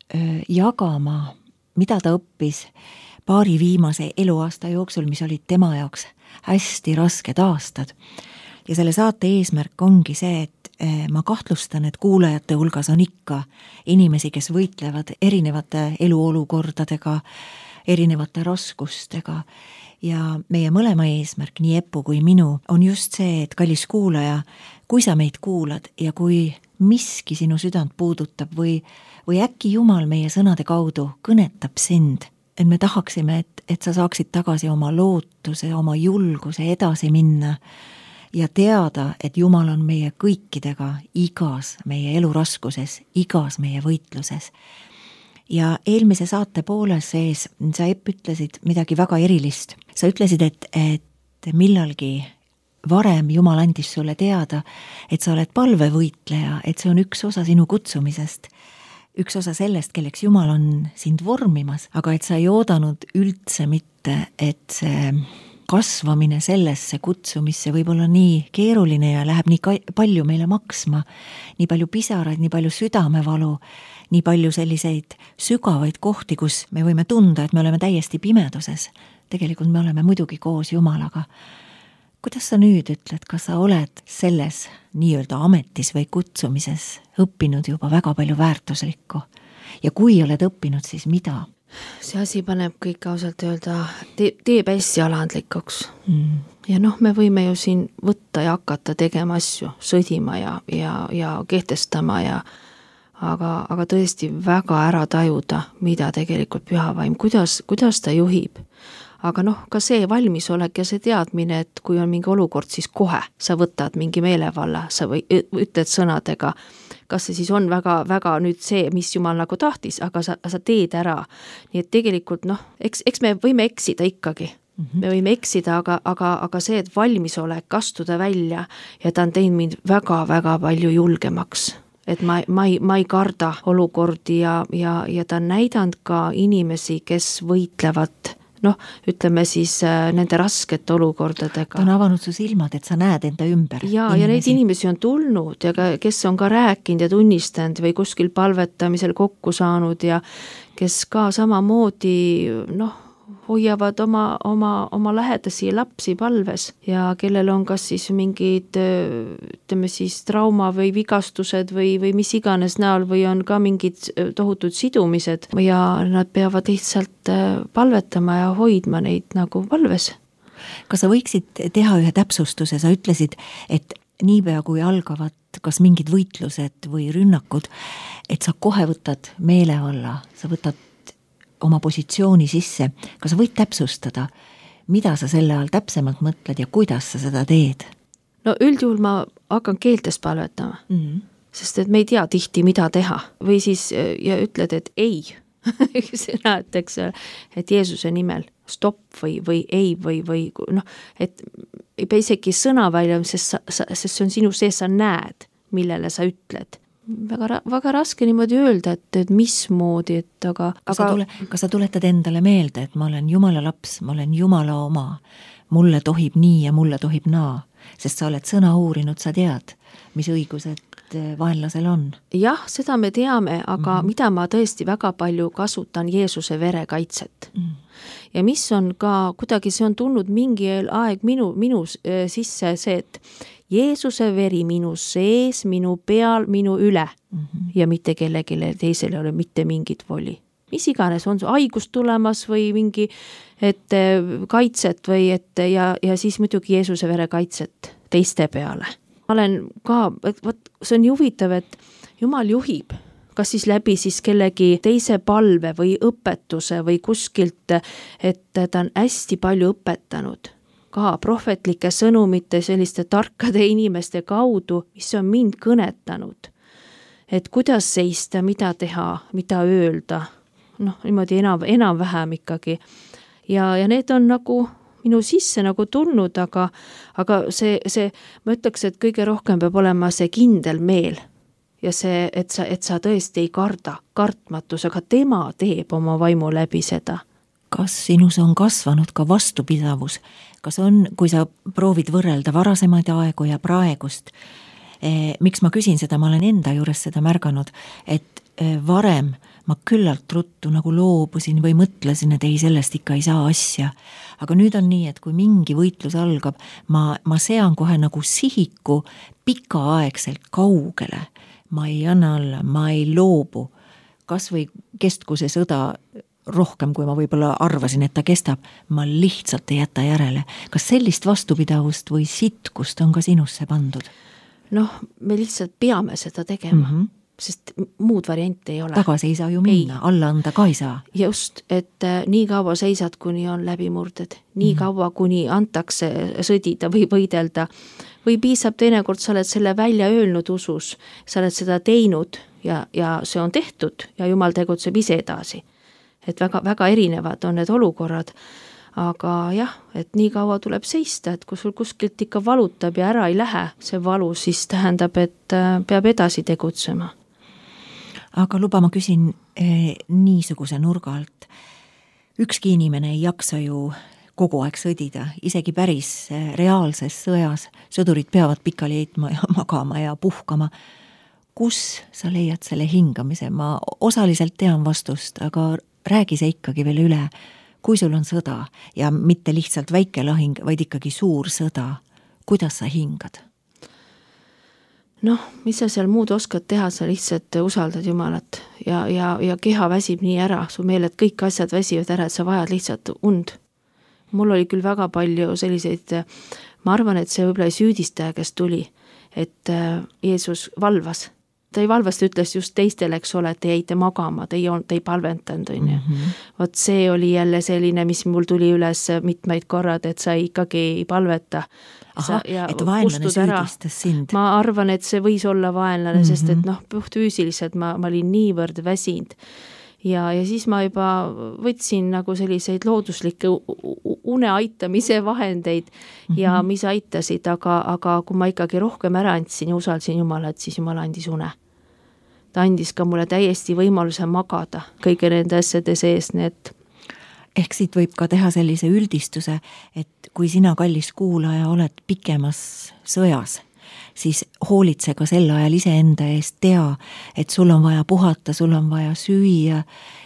jagama, mida ta õppis paari viimase eluaasta jooksul, mis olid tema jaoks hästi rasked aastad. Ja selle saate eesmärk ongi see, et ma kahtlustan, et kuulajate hulgas on ikka inimesi, kes võitlevad erinevate eluolukordadega, erinevate raskustega ja meie mõlema eesmärk, nii Eppu kui minu, on just see, et kallis kuulaja, kui sa meid kuulad ja kui miski sinu südant puudutab või, või äkki Jumal meie sõnade kaudu kõnetab sind, et me tahaksime, et, et sa saaksid tagasi oma lootuse, oma julguse edasi minna ja teada, et Jumal on meie kõikidega igas meie eluraskuses, igas meie võitluses. Ja eelmise saate poole sees sa Epp ütlesid midagi väga erilist. Sa ütlesid, et, et millalgi varem Jumal andis sulle teada, et sa oled palvevõitleja, et see on üks osa sinu kutsumisest, üks osa sellest, kelleks Jumal on sind vormimas, aga et sa ei oodanud üldse mitte, et see kasvamine sellesse kutsumisse võib olla nii keeruline ja läheb nii palju meile maksma, nii palju pisaraid, nii palju südamevalu, nii palju selliseid sügavaid kohti, kus me võime tunda, et me oleme täiesti pimeduses. Tegelikult me oleme muidugi koos Jumalaga. Kuidas sa nüüd ütled, kas sa oled selles nii-öelda ametis või kutsumises õppinud juba väga palju väärtuslikku? Ja kui oled õppinud, siis mida? See asi paneb kõik ausalt öelda, teeb hästi alandlikuks. Mm. Ja noh, me võime ju siin võtta ja hakata tegema asju, sõdima ja, ja, ja kehtestama ja aga, aga tõesti väga ära tajuda, mida tegelikult pühavaim, kuidas, kuidas ta juhib. Aga noh, ka see valmisolek ja see teadmine, et kui on mingi olukord, siis kohe sa võtad mingi meelevalla, sa või ütled sõnadega, kas see siis on väga, väga nüüd see, mis Jumal nagu tahtis, aga sa, sa teed ära. Nii et tegelikult noh, eks, eks me võime eksida ikkagi. Mm-hmm. Me võime eksida, aga, aga, aga see, et valmisolek astuda välja ja ta on teinud mind väga, väga palju julgemaks. Et ma, ma, ei, ma ei karda olukordi ja, ja, ja ta on näidanud ka inimesi, kes võitlevad noh, ütleme siis nende raskete olukordadega. Ta on avanud su silmad, et sa näed enda ümber. Ja, ja neid inimesi on tulnud ja ka, kes on ka rääkinud ja tunnistanud või kuskil palvetamisel kokku saanud ja kes ka samamoodi noh, hoiavad oma, oma, oma lähedasi lapsi palves ja kellel on kas siis mingid ütleme siis trauma või vigastused või, või mis iganes näol või on ka mingid tohutud sidumised ja nad peavad lihtsalt palvetama ja hoidma neid nagu palves. Kas sa võiksid teha ühe täpsustuse? Sa ütlesid, et niipea kui algavad kas mingid võitlused või rünnakud, et sa kohe võtad meelevalla, sa võtad oma positsiooni sisse. Kas sa võid täpsustada, mida sa selle all täpsemalt mõtled ja kuidas sa seda teed? No üldjuhul ma hakkan keeltes palvetama, mm-hmm. sest et me ei tea tihti, mida teha. Või siis ja ütled, et ei. Sina, et, eks, et Jeesuse nimel stopp või, või ei või, või noh, et ei pea isegi sõna välja, sest, sa, sest see on sinu sees, sa näed, millele sa ütled. Väga, väga raske niimoodi öelda, et, et mismoodi, et aga... Kas, aga... Sa tule, kas sa tuletad endale meelde, et ma olen Jumala laps, ma olen Jumala oma, mulle tohib nii ja mulle tohib naa, sest sa oled sõna uurinud, sa tead, mis õigused vaenlasel on. Jah, seda me teame, aga mm-hmm. mida ma tõesti väga palju kasutan Jeesuse vere kaitset. Mm. Ja mis on ka, kuidagi see on tulnud mingi aeg minu, minu sisse see, et Jeesuse veri minu sees, minu peal, minu üle mm-hmm. ja mitte kellegile teisele ei ole mitte mingit voli. Mis iganes on su haigust tulemas või mingi et kaitset või et ja, ja siis muidugi Jeesuse vere kaitset teiste peale. Ma olen ka, et võt, see on huvitav, et Jumal juhib, kas siis läbi siis kellegi teise palve või õpetuse või kuskilt, et ta on hästi palju õpetanud. Ka prohvetlike sõnumite selliste tarkade inimeste kaudu, mis on mind kõnetanud. Et kuidas seista, mida teha, mida öelda. Noh, niimoodi enam, enam vähem ikkagi. Ja, ja need on nagu minu sisse nagu tulnud, aga, aga see, see, ma ütleks, et kõige rohkem peab olema see kindel meel. ja see, et sa, et sa tõesti ei karda, kartmatus, aga tema teeb oma vaimu läbi seda. Kas sinus on kasvanud ka vastupidavus? Kas on, kui sa proovid võrrelda varasemaid aegu ja praegust, eh, miks ma küsin seda, ma olen enda juures seda märganud, et eh, varem ma küllalt ruttu nagu loobusin või mõtlesin, et ei, sellest ikka ei saa asja. Aga nüüd on nii, et kui mingi võitlus algab, ma, ma sean kohe nagu sihiku pikaaegselt kaugele. Ma ei anna alla, ma ei loobu. Kas või kestku see sõda rohkem, kui ma võib-olla arvasin, et ta kestab, ma lihtsalt ei jäta järele. Kas sellist vastupidavust või sitkust on ka sinusse pandud? Noh, me lihtsalt peame seda tegema. Mm -hmm. Sest muud varianti ei ole. Tagasi ei saa ju minna, ei. Alla anda ka ei saa. Just, et äh, nii kaua seisad, kuni on läbimurded, nii mm. kaua, kuni antakse sõdida või võidelda, või piisab teinekord, sa oled selle välja öelnud usus, sa oled seda teinud ja, ja see on tehtud ja Jumal tegutseb ise edasi. Et väga, väga erinevad on need olukorrad, aga jah, et nii kaua tuleb seista, et kui sul kuskilt ikka valutab ja ära ei lähe see valu, siis tähendab, et äh, peab edasi tegutsema. Aga luba ma küsin eh, niisuguse nurga alt. Ükski inimene ei jaksa ju kogu aeg sõdida, isegi päris eh, reaalses sõjas. Sõdurid peavad pikali heitma ja magama ja puhkama. Kus sa leiad selle hingamise? Ma osaliselt tean vastust, aga räägi see ikkagi veel üle. Kui sul on sõda ja mitte lihtsalt väike lahing, vaid ikkagi suur sõda, kuidas sa hingad? Noh, mis sa seal muud oskad teha, sa lihtsalt usaldad Jumalat ja, ja, ja keha väsib nii ära, su meeled kõik asjad väsivad ära, et sa vajad lihtsalt und. Mul oli küll väga palju selliseid, ma arvan, et see võib-olla süüdistaja, kes tuli, et Jeesus valvas. Ta ei valvast, ütles just teistele, eks ole, et te jäite magama, te ei, te ei palventanud, on ju. Mm -hmm. Vot see oli jälle selline, mis mul tuli üles mitmeid korrad, et sa ikkagi ei palveta. Aha, et vaenlane süüdistas sind. Ma arvan, et see võis olla vaenlane, mm -hmm. sest et noh, puhtfüüsiliselt ma, ma olin niivõrd väsinud. Ja, ja siis ma juba võtsin nagu selliseid looduslikke une aitamise vahendeid mm -hmm. ja mis aitasid, aga, aga kui ma ikkagi rohkem ära andsin ja usaldasin Jumalat, siis Jumal andis une. Ta andis ka mulle täiesti võimaluse magada kõige nende asjade sees, need. Ehk siit võib ka teha sellise üldistuse, et kui sina, kallis kuulaja, oled pikemas sõjas, siis hoolitse ka sel ajal iseenda eest, tea, et sul on vaja puhata, sul on vaja süüa,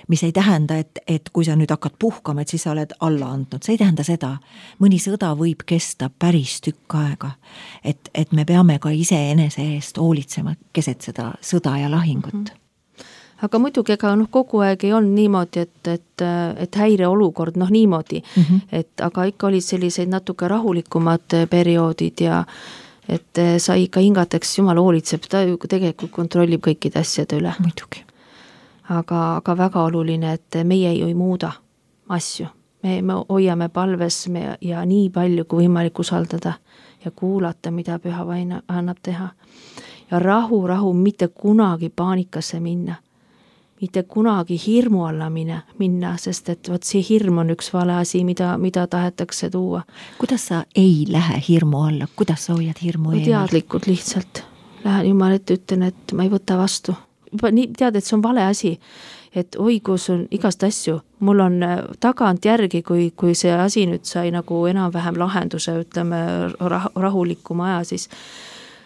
mis ei tähenda, et, et kui sa nüüd hakkad puhkama, et siis sa oled alla andnud, see ei tähenda seda. Mõni sõda võib kesta päris tükk aega, et, et me peame ka ise enese eest hoolitsema keset seda sõda ja lahingut. Mm -hmm. Aga muidugi ega noh, kogu aeg ei olnud niimoodi, et, et, et häireolukord, noh niimoodi, mm -hmm. et aga ikka olid selliseid natuke rahulikumad perioodid ja et sa ikka hingateks, Jumal hoolitseb, ta ju tegelikult kontrollib kõikide asjade üle. Muidugi. Aga, aga väga oluline, et meie ju ei muuda asju. Me, me hoiame palves me, ja nii palju kui võimalik usaldada ja kuulata, mida Püha Vaim annab teha. Ja rahu, rahu, mitte kunagi paanikasse minna. Mitte kunagi hirmu alla minna, minna, sest et võt see hirm on üks vale asi, mida, mida tahetakse tuua. Kuidas sa ei lähe hirmu alla? Kuidas sa hoiad hirmu eemalt? Teadlikult lihtsalt. Lähen Jumal ette, ütlen, et ma ei võta vastu. Juba nii tead, et see on vale asi, et oi, kus on igast asju. Mul on tagant järgi, kui, kui see asi nüüd sai nagu enam-vähem lahenduse, ütleme rah, rahulikuma aja, siis,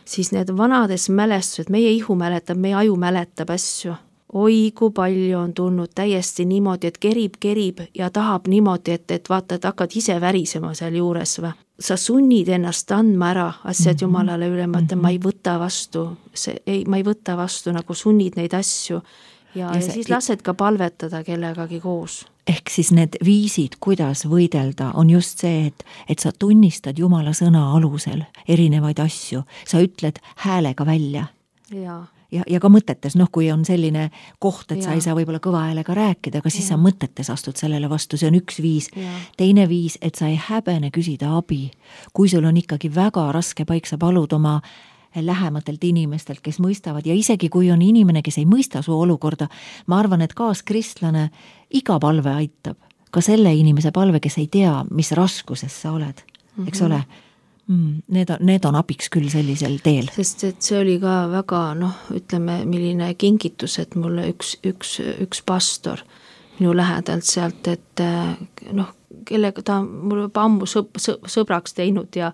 siis need vanades mälestused, meie ihu mäletab, meie aju mäletab asju. Oi, kui palju on tulnud täiesti niimoodi, et kerib, kerib ja tahab niimoodi, et, et vaata, et hakkad ise värisema seal juures või. Sa sunnid ennast andma ära asjad mm -hmm. Jumalale üle, ma ütlen, ma ei võta vastu, see, ei, ma ei võta vastu, nagu sunnid neid asju ja, ja, ja see, siis lased ka palvetada kellegagi koos. Ehk siis need viisid, kuidas võidelda, on just see, et, et sa tunnistad Jumala sõna alusel erinevaid asju, sa ütled häälega välja. Jaa. Ja, ja ka mõtetes, noh, kui on selline koht, et ja. Sa ei saa võib-olla kõva häälega rääkida, aga siis ja. Sa mõtetes astud sellele vastu, see on üks viis. Ja. Teine viis, et sa ei häbene küsida abi. Kui sul on ikkagi väga raske paik, sa palud oma lähematelt inimestelt, kes mõistavad ja isegi kui on inimene, kes ei mõista su olukorda, ma arvan, et kaaskristlane iga palve aitab. Ka selle inimese palve, kes ei tea, mis raskuses sa oled, eks mm-hmm. ole. mm,. Need on, need on abiks küll sellisel teel. Sest et see oli ka väga, noh, ütleme, milline kingitus, et mulle üks, üks, üks pastor minu lähedalt sealt, et noh, kellega ta mul juba ammu sõb, sõb, sõbraks teinud ja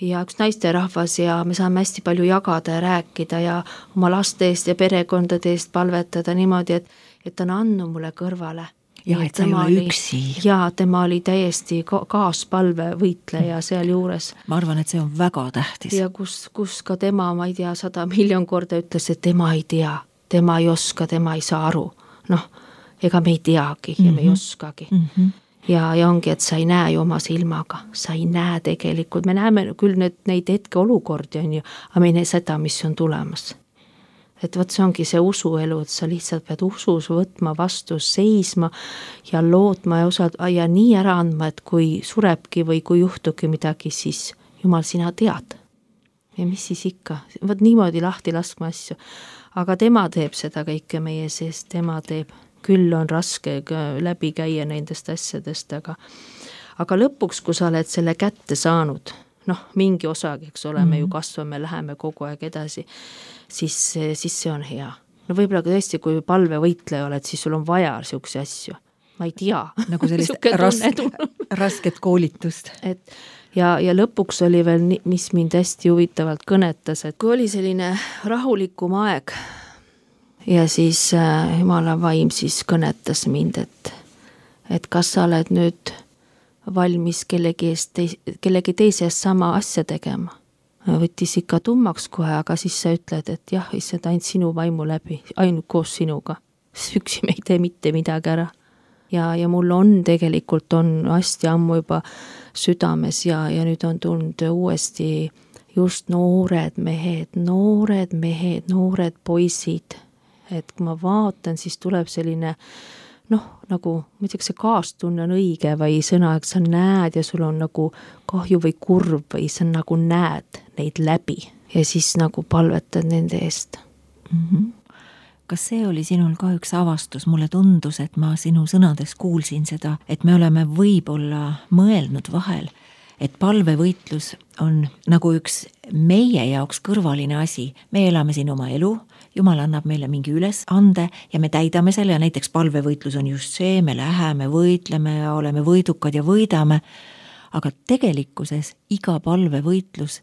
ja üks naisterahvas ja me saame hästi palju jagada ja rääkida ja oma laste eest ja perekondade eest palvetada niimoodi, et, et ta on andnud mulle kõrvale. Ja, et sa ei ole üksi. Ja tema oli täiesti kaaspalve võitleja seal juures. Ma arvan, et see on väga tähtis. Ja kus, kus ka tema, ma ei tea, sada miljon korda ütles, et tema ei tea, tema ei oska, tema ei saa aru. Noh, ega me ei teagi ja mm-hmm. me ei oskagi. Mm-hmm. Ja, ja ongi, et sa ei näe ju oma silmaga, sa ei näe tegelikult, me näeme küll need, neid hetke olukordi on ju, aga me ei näe seda, mis on tulemas. Et võt see ongi see usuelu, et sa lihtsalt pead usus võtma vastu, seisma ja lootma ja, osad, ja nii ära andma, et kui surebki või kui juhtugi midagi, siis Jumal, sina tead. Ja mis siis ikka, võt niimoodi lahti laskma asju. Aga tema teeb seda kõike meie sees, tema teeb. Küll on raske läbi käia nendest asjadest, aga, aga lõpuks, kui sa oled selle kätte saanud, noh, mingi osagi, eks ole, me ju kasvame, läheme kogu aeg edasi, siis, siis see on hea. No võib-olla tõesti, kui palvevõitleja oled, siis sul on vaja siukse asju. Ma ei tea. Nagu sellist raske, rasket koolitust. Et, ja, ja lõpuks oli veel, mis mind hästi huvitavalt kõnetas, et kui oli selline rahulikum aeg, ja siis äh, Jumala vaim siis kõnetas mind, et, et kas sa oled nüüd valmis kellegi, eest teis, kellegi teise eest sama asja tegema. Võttis ikka tummaks kohe, aga siis sa ütled, et jah, issand ainult sinu vaimu läbi, ainult koos sinuga. Üksi me ei tee mitte midagi ära. Ja, ja mul on tegelikult on hästi ammu juba südames ja, ja nüüd on tulnud uuesti just noored mehed, noored mehed, noored poisid. Et kui ma vaatan, siis tuleb selline, noh, nagu, ma ei tea, see kaastunne on õige või sõna, et sa näed ja sul on nagu kahju või kurb või sa nagu näed neid läbi ja siis nagu palvetad nende eest. Mm-hmm. Kas see oli sinul ka üks avastus? Mulle tundus, et ma sinu sõnades kuulsin seda, et me oleme võib-olla mõelnud vahel, et palvevõitlus on nagu üks meie jaoks kõrvaline asi. Me elame siin oma elu, Jumal annab meile mingi ülesande ja me täidame selle ja näiteks palvevõitlus on just see, me läheme, võitleme ja oleme võidukad ja võidame, aga tegelikkuses iga palvevõitlus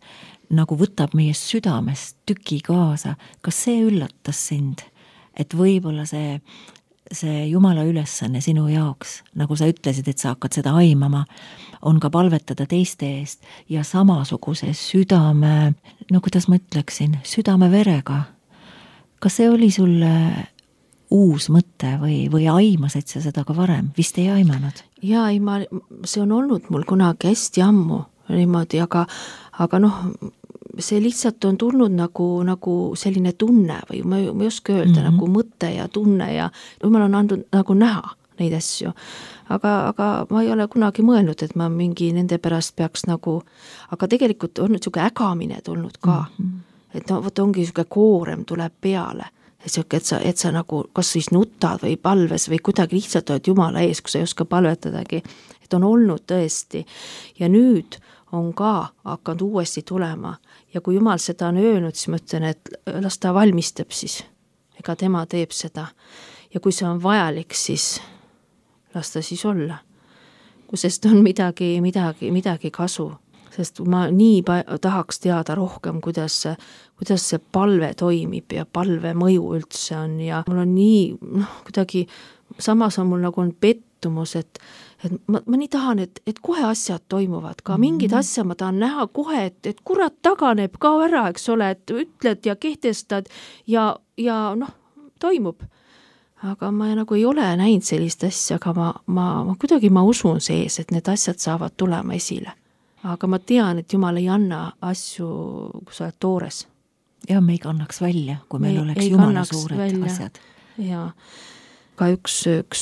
nagu võtab meie südamest tüki kaasa. Kas see üllatas sind, et võib-olla see, see Jumala ülesanne sinu jaoks, nagu sa ütlesid, et sa hakkad seda aimama, on ka palvetada teiste eest ja samasuguse südame, no kuidas ma ütleksin, südame verega. Kas see oli sulle uus mõte või, või aimasid sa seda ka varem? Vist ei aimanud? Jaa, ei, ma, see on olnud mul kunagi hästi ammu niimoodi, aga, aga noh, see lihtsalt on tulnud nagu, nagu selline tunne või ma, ma ei oska öelda, mm-hmm. nagu mõte ja tunne ja Jumal on andnud nagu näha neid asju. Aga, aga ma ei ole kunagi mõelnud, et ma mingi nende pärast peaks nagu, aga tegelikult on nüüd siuke ägamine tulnud ka. Mm-hmm. Et no, võt ongi siuke koorem tuleb peale, et, siuke, et, sa, et sa nagu kas siis nutad või palves või kuidagi lihtsalt oled Jumala ees, kui sa ei oska palvetadagi, et on olnud tõesti ja nüüd on ka hakanud uuesti tulema ja kui Jumal seda on öelnud, siis ma ütlen, et las ta valmistab siis, ega tema teeb seda ja kui see on vajalik, siis las ta siis olla, kui sest on midagi, midagi, midagi kasu. Sest ma nii tahaks teada rohkem, kuidas, kuidas see palve toimib ja palve mõju üldse on ja mul on nii, noh, kuidagi, samas on mul nagu on pettumus, et, et ma, ma nii tahan, et, et kohe asjad toimuvad ka, mingid mm-hmm. asja ma tahan näha kohe, et, et kurat taganeb ka ära, eks ole, et ütled ja kehtestad ja, ja noh, toimub. Aga ma nagu ei ole näinud sellist asja, aga ma, ma, ma kuidagi ma usun sees, et need asjad saavad tulema esile. Aga ma tean, et Jumal ei anna asju, kui sa oled toores. Ja me ei kannaks välja, kui meil ei, oleks ei Jumala suured välja. Asjad. Ja ka üks, üks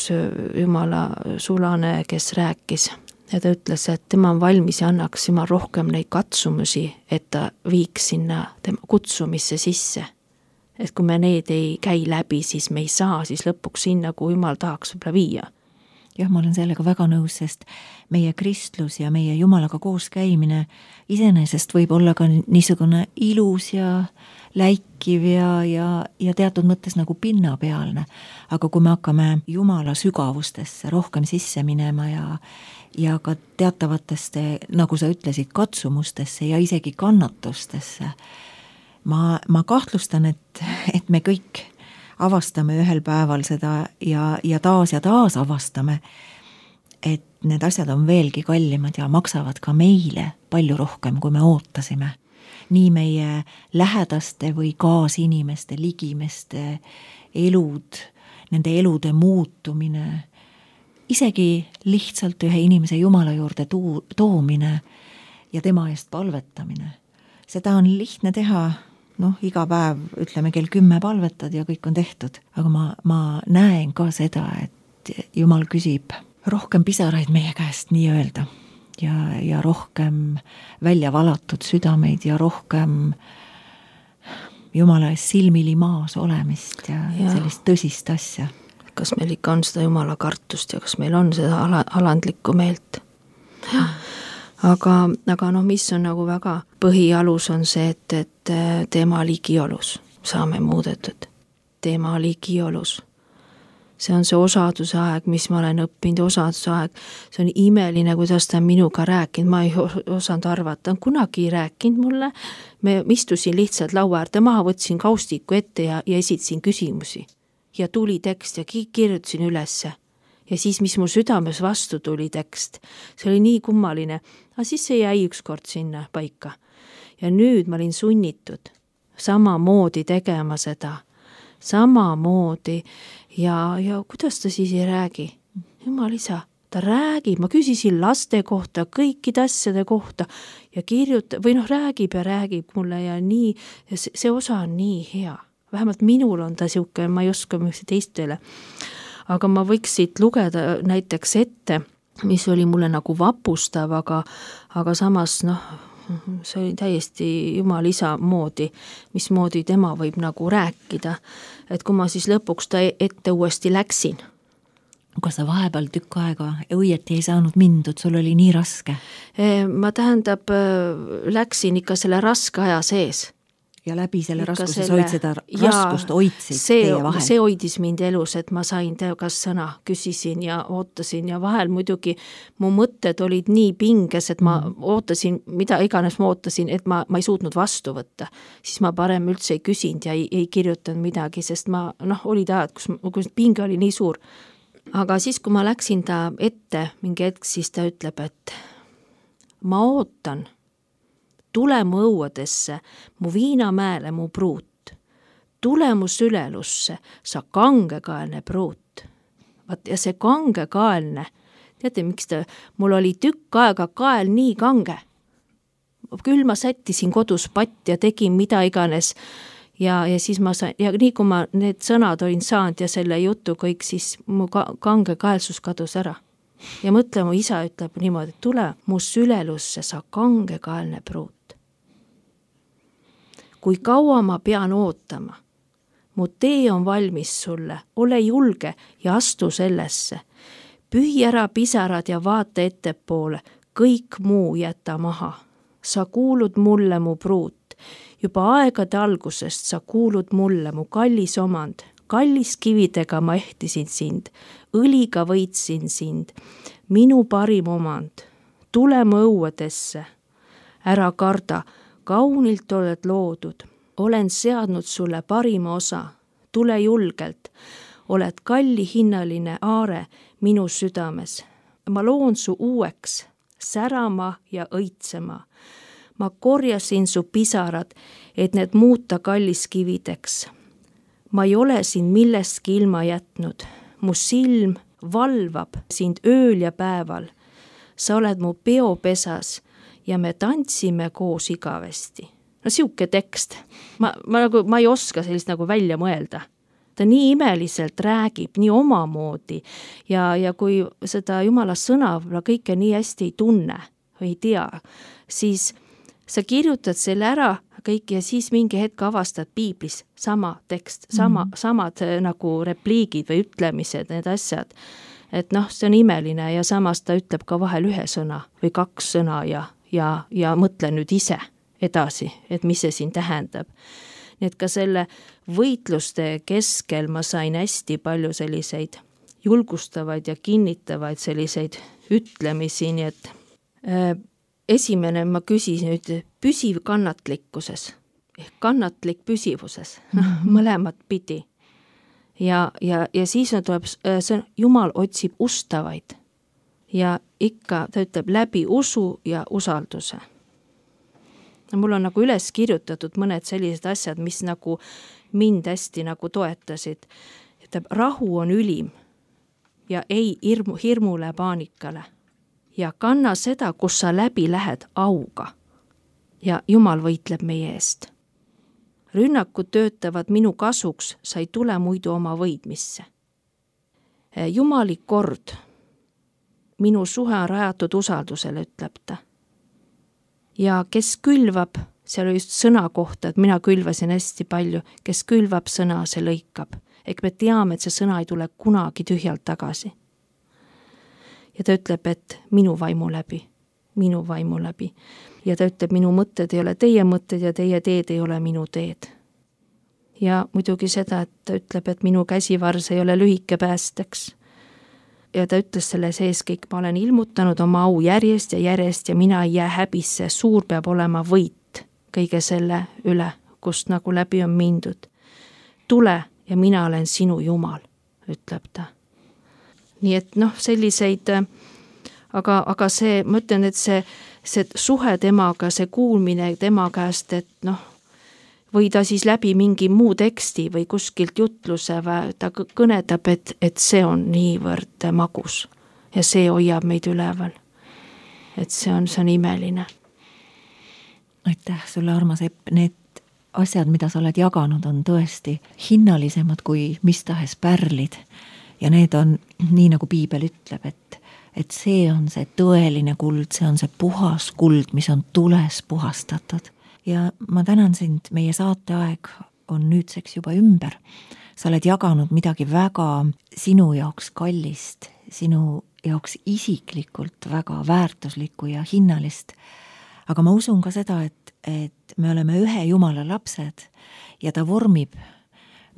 Jumala sulane, kes rääkis ja ta ütles, et tema on valmis ja annaks Jumal rohkem neid katsumusi, et ta viiks sinna tema kutsumisse sisse. Et kui me need ei käi läbi, siis me ei saa siis lõpuks sinna, kui Jumal tahaks võib-olla viia. jah, ma olen sellega väga nõus, sest meie kristlus ja meie Jumalaga koos käimine iseenesest võib olla ka niisugune ilus ja läikiv ja, ja, ja teatud mõttes nagu pinnapealne. Aga kui me hakkame Jumala sügavustesse rohkem sisse minema ja, ja ka teatavatesse, nagu sa ütlesid, katsumustesse ja isegi kannatustesse, ma, ma kahtlustan, et, et me kõik avastame ühel päeval seda ja, ja taas ja taas avastame, et need asjad on veelgi kallimad ja maksavad ka meile palju rohkem, kui me ootasime. Nii meie lähedaste või kaasinimeste, ligimeste elud, nende elude muutumine, isegi lihtsalt ühe inimese Jumala juurde tuu, toomine ja tema eest palvetamine. Seda on lihtne teha, noh, iga päev ütleme kell kümme palvetad ja kõik on tehtud, aga ma, ma näen ka seda, et Jumal küsib rohkem pisaraid meie käest nii öelda ja, ja rohkem välja valatud südameid ja rohkem Jumala ees silmili maas olemist ja, ja sellist tõsist asja. Kas meil ikka on seda Jumala kartust ja kas meil on seda ala, alandlikku meelt? Jah. Aga, aga noh, mis on nagu väga põhialus on see, et, et tema ligiolus saame muudetud. Tema ligiolus. See on see osaduse aeg, mis ma olen õppinud, osaduse aeg. See on imeline, kuidas ta on minuga rääkinud. Ma ei osanud arvata, ta on kunagi rääkinud mulle. Me istusin lihtsalt laua äärde maha, võtsin kaustiku ette ja, ja esitasin küsimusi. Ja tuli tekst ja kirjutasin ülesse. Ja siis, mis mul südames vastu tuli tekst, see oli nii kummaline, aga siis see jäi ükskord sinna paika. Ja nüüd ma olin sunnitud samamoodi tegema seda, samamoodi ja, ja kuidas ta siis ei räägi? Jumal isa, ta räägib, ma küsisin laste kohta, kõikide asjade kohta ja kirjuta, või noh, räägib ja räägib mulle ja nii, ja see, see osa on nii hea. Vähemalt minul on ta siuke, ma ei oska mõista teistele. Aga ma võiks siit lugeda näiteks ette, mis oli mulle nagu vapustav, aga, aga samas noh, see oli täiesti Jumal isa moodi, mismoodi tema võib nagu rääkida. Et kui ma siis lõpuks ta ette uuesti läksin. Kas sa vahepeal tükk aega õieti ei saanud mindud, sul oli nii raske? Ma tähendab, läksin ikka selle raske aja sees. Ja läbi selle raskuse selle, hoid seda raskust hoidsid see, teie vahel. See hoidis mind elus, et ma sain teokas sõna, küsisin ja ootasin ja vahel muidugi mu mõtted olid nii pinges, et ma mm. ootasin, mida iganes ma ootasin, et ma, ma ei suutnud vastu võtta. Siis ma parem üldse ei küsinud ja ei, ei kirjutanud midagi, sest ma, noh, olid ajad, kus, kus pinge oli nii suur. Aga siis, kui ma läksin ta ette mingi hetk, siis ta ütleb, et ma ootan, tule mu õuadesse, mu viinamäele mu pruut. Tule mu sülelusse, sa kangekaelne pruut. Vaat, ja see kangekaelne, teate, miks ta, mul oli tükk aega kael nii kange. Küll ma sättisin kodus patt ja tegin mida iganes. Ja, ja siis ma sain, ja nii kui ma need sõnad olin saanud ja selle jutu kõik, siis mu kangekaelsus kadus ära. Ja mõtle, mu isa ütleb niimoodi, et tule mu sülelusse, sa kangekaelne pruut. Kui kaua ma pean ootama, mu tee on valmis sulle, ole julge ja astu sellesse. Pühi ära pisarad ja vaata ettepoole, kõik muu jäta maha. Sa kuulud mulle mu pruut, juba aegade algusest sa kuulud mulle mu kallis omand. Kallis kividega ma ehtisin sind, õliga võitsin sind, minu parim omand. Tule mu õuedesse, ära karda, kaunilt oled loodud, olen seadnud sulle parima osa, tule julgelt, oled kalli hinnaline aare minu südames. Ma loon su uueks, särama ja õitsema. Ma korjasin su pisarad, et need muuta kallis kivideks. Ma ei ole sind millestki ilma jätnud, mu silm valvab sind ööl ja päeval. Sa oled mu peopesas ja me tantsime koos igavesti. No siuke tekst. Ma, ma, nagu, ma ei oska sellist nagu välja mõelda. Ta nii imeliselt räägib, nii omamoodi ja, ja kui seda Jumala sõna kõike nii hästi ei tunne või ei tea, siis sa kirjutad selle ära kõik ja siis mingi hetk avastad piiblis sama tekst, sama, mm. samad nagu repliigid või ütlemised, need asjad. et noh, see on imeline ja samas ta ütleb ka vahel ühe sõna või kaks sõna ja, ja, ja mõtle nüüd ise edasi, et mis see siin tähendab. Nii et ka selle võitluste keskel ma sain hästi palju selliseid julgustavaid ja kinnitavaid selliseid ütlemisi, nii et äh, esimene ma küsin nüüd püsiv kannatlikkuses, ehk kannatlik püsivuses, noh, mõlemat pidi. Ja, ja, ja siis on tuleb, see Jumal otsib ustavaid ja ikka ta ütleb läbi usu ja usalduse. Mul on nagu üles kirjutatud mõned sellised asjad, mis nagu mind hästi nagu toetasid. Ütleb, rahu on ülim ja ei hirmu, hirmule paanikale ja kanna seda, kus sa läbi lähed auga ja Jumal võitleb meie eest. Rünnakud töötavad minu kasuks, sa ei tule muidu oma võidmisse. Jumali kord, minu suhe on rajatud usaldusele, ütleb ta. Ja kes külvab, seal oli just sõna kohta, et mina külvasin hästi palju, kes külvab sõna, see lõikab. Ehk me teame, et see sõna ei tule kunagi tühjalt tagasi. Ja ta ütleb, et minu vaimu läbi, minu vaimu läbi. Ja ta ütleb, minu mõtted ei ole teie mõtted ja teie teed ei ole minu teed. Ja muidugi seda, et ta ütleb, et minu käsivars ei ole lühike päästeks. Ja ta ütles selle sees kõik, ma olen ilmutanud oma au järjest ja järjest ja mina ei jää häbisse, suur peab olema võit kõige selle üle, kust nagu läbi on mindud. Tule ja mina olen sinu Jumal, ütleb ta. Nii et noh, selliseid, aga, aga see, ma ütlen, et see, see suhe temaga, see kuulmine tema käest, et noh, või ta siis läbi mingi muu teksti või kuskilt jutluse või ta kõnetab, et, et see on niivõrd magus ja see hoiab meid üleval. Et see on, see on imeline. Aitäh sulle, armas Epp, need asjad, mida sa oled jaganud, on tõesti hinnalisemad kui mis tahes pärlid. Ja need on, nii nagu Piibel ütleb, et, et see on see tõeline kuld, see on see puhas kuld, mis on tules puhastatud. Ja ma tänan sind, meie saateaeg on nüüdseks juba ümber. Sa oled jaganud midagi väga sinu jaoks kallist, sinu jaoks isiklikult väga väärtuslikku ja hinnalist. Aga ma usun ka seda, et, et me oleme ühe Jumala lapsed ja ta vormib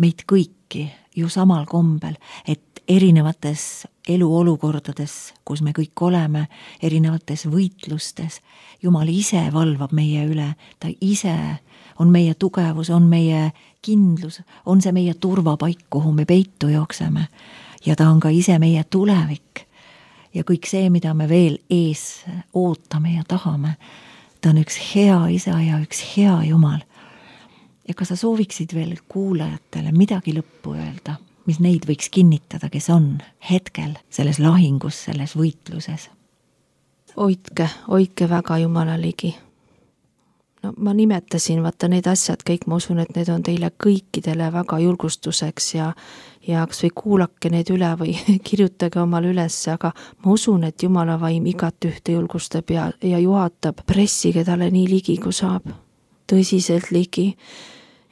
meid kõiki ju samal kombel, et erinevates eluolukordades, kus me kõik oleme, erinevates võitlustes, Jumal ise valvab meie üle, ta ise on meie tugevus, on meie kindlus, on see meie turvapaik, kuhu me peitu jookseme ja ta on ka ise meie tulevik ja kõik see, mida me veel ees ootame ja tahame, ta on üks hea isa ja üks hea Jumal. Ja kas sa sooviksid veel kuulajatele midagi lõppu öelda, mis neid võiks kinnitada, kes on hetkel selles lahingus, selles võitluses? Hoidke, hoidke väga Jumala ligi. No, ma nimetasin, vaata need asjad kõik, ma usun, et need on teile kõikidele väga julgustuseks ja, ja kas või kuulake need üle või kirjutage omal üles, aga ma usun, et Jumala vaim igat ühte julgustab ja, ja juhatab, pressige talle nii ligi, kui saab, tõsiselt ligi.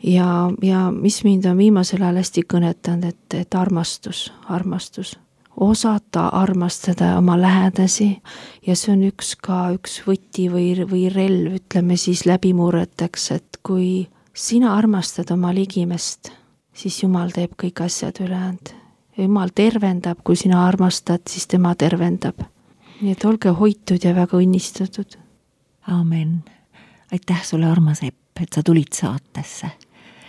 Ja, ja mis mind on viimasel ajal hästi kõnetanud, et, et armastus, armastus, osata armastada oma lähedasi ja see on üks ka üks võti või, või relv, ütleme siis läbimurreteks, et kui sina armastad oma ligimest, siis Jumal teeb kõik asjad ülejäänud. Jumal tervendab, kui sina armastad, siis tema tervendab. Nii et olge hoitud ja väga õnnistatud. Aamen. Aitäh sulle, armas Epp, et sa tulid saatesse.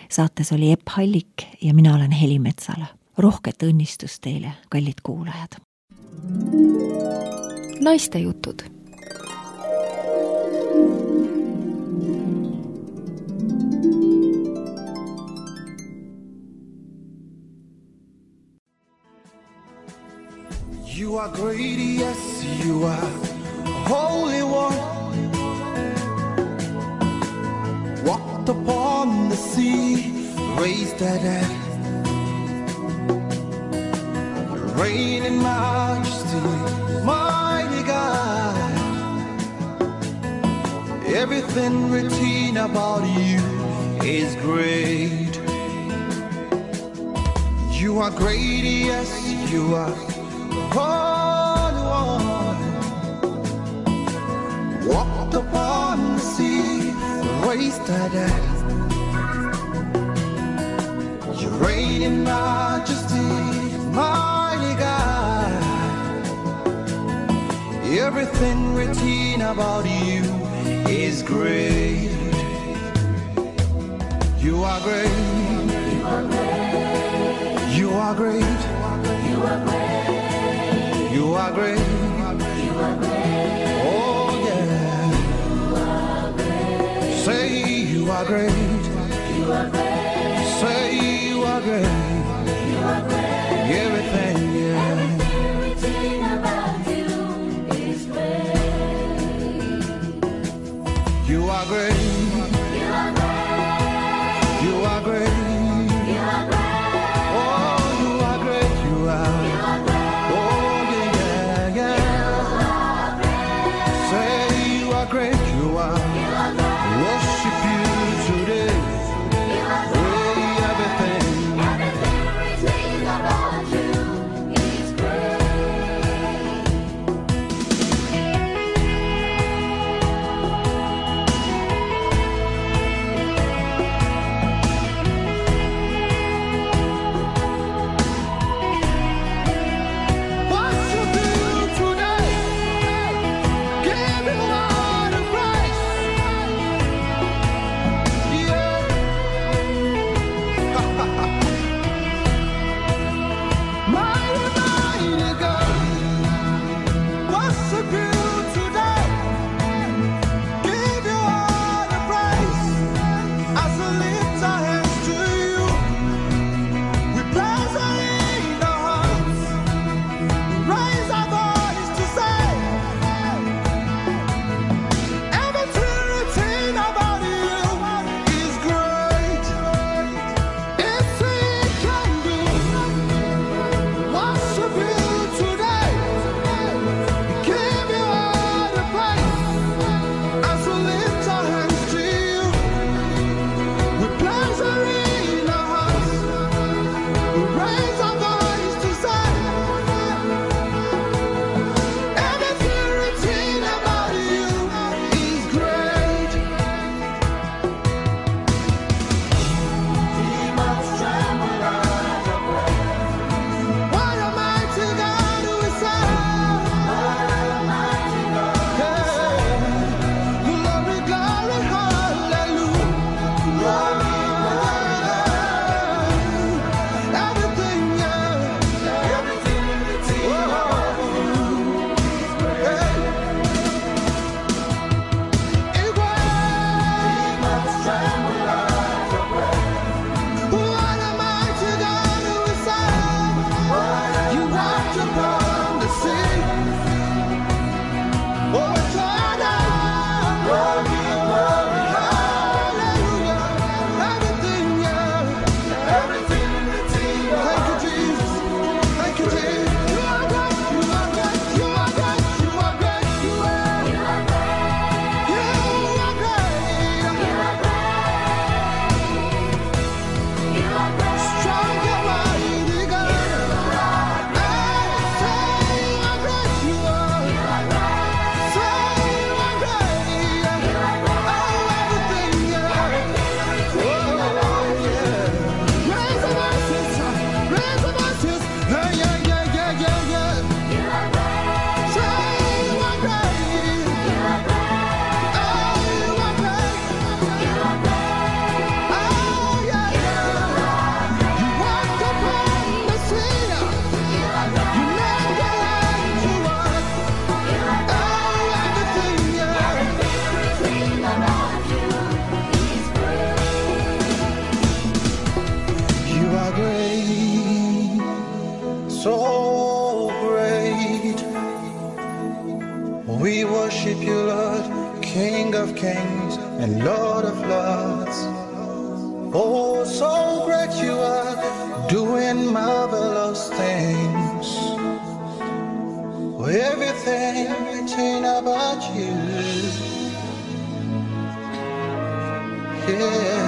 Saates oli Epp Hallik ja mina olen Heli Metsala. Rohket õnnistust teile, kallid kuulajad. Naiste jutud. You are great, yes, you are holy one. Walked upon the sea, raised that dead. Reign in majesty, mighty God. Everything written about you is great. You are great, yes, you are Holy One, walked upon the sea, wasted it. You reign in majesty, mighty God. Everything written about you is great. You are great. You are great. You are great. You are great. You are great. You are great. Oh yeah. You are great. Say you are great. You are great. Say you are great. You are great. Everything, yeah. Everything about you is great. You are great. You are great. You are great. You are great. Oh, you are great. You are. You are great. Oh yeah, yeah, yeah. You are great. Say you are great. You are. You are great. Worship you today. You are great. Everything. Everything about you is great. Worship you today. Give you all the praise. Yeah. Mighty, mighty God. Worship you today. Give you all the praise. As we lift our hands to you, we place our in our hearts. Raise our voice to say, everything written about you is great. It's He can do. Worship you today. Give you all the praise. As we lift our hands to you, we place our in our hearts. We raise our voice to say, everything written about you is great. Demons tremble at your praise. What a mighty God we serve. What a mighty God we serve. Glory, glory, hallelujah. Glory, glory, everything, yeah. Everything written about you is great. It's great. Demons tremble at your praise. What a mighty God we serve. You walked upon the sea. Oh, Jordan. Glory, glory, hallelujah. Everything, yeah. Everything written. Thank you, Jesus. Thank you, Jesus. You are great. You are great. You are great. You are great. You are. You are great. You are great. You are great. You are great. Strong and mighty God. Hey, say you are great. You are. You are great. Say you are great. You are great. Oh, everything, yeah. Oh, yeah. Raise the voices. Raise the voices. Hey, yeah, yeah, yeah, yeah, yeah. You are great. Say you are great. You are great. Oh, you are great. You are great. Oh, yeah, yeah. You walked upon the sea. You are great. You made the land to walk. You are great. Oh, everything, yeah. Everything about you is great. You are great, so great. We worship you, Lord, King of kings and Lord of lords. Oh, so great you are, doing marvelous things. Everything written about you, yeah.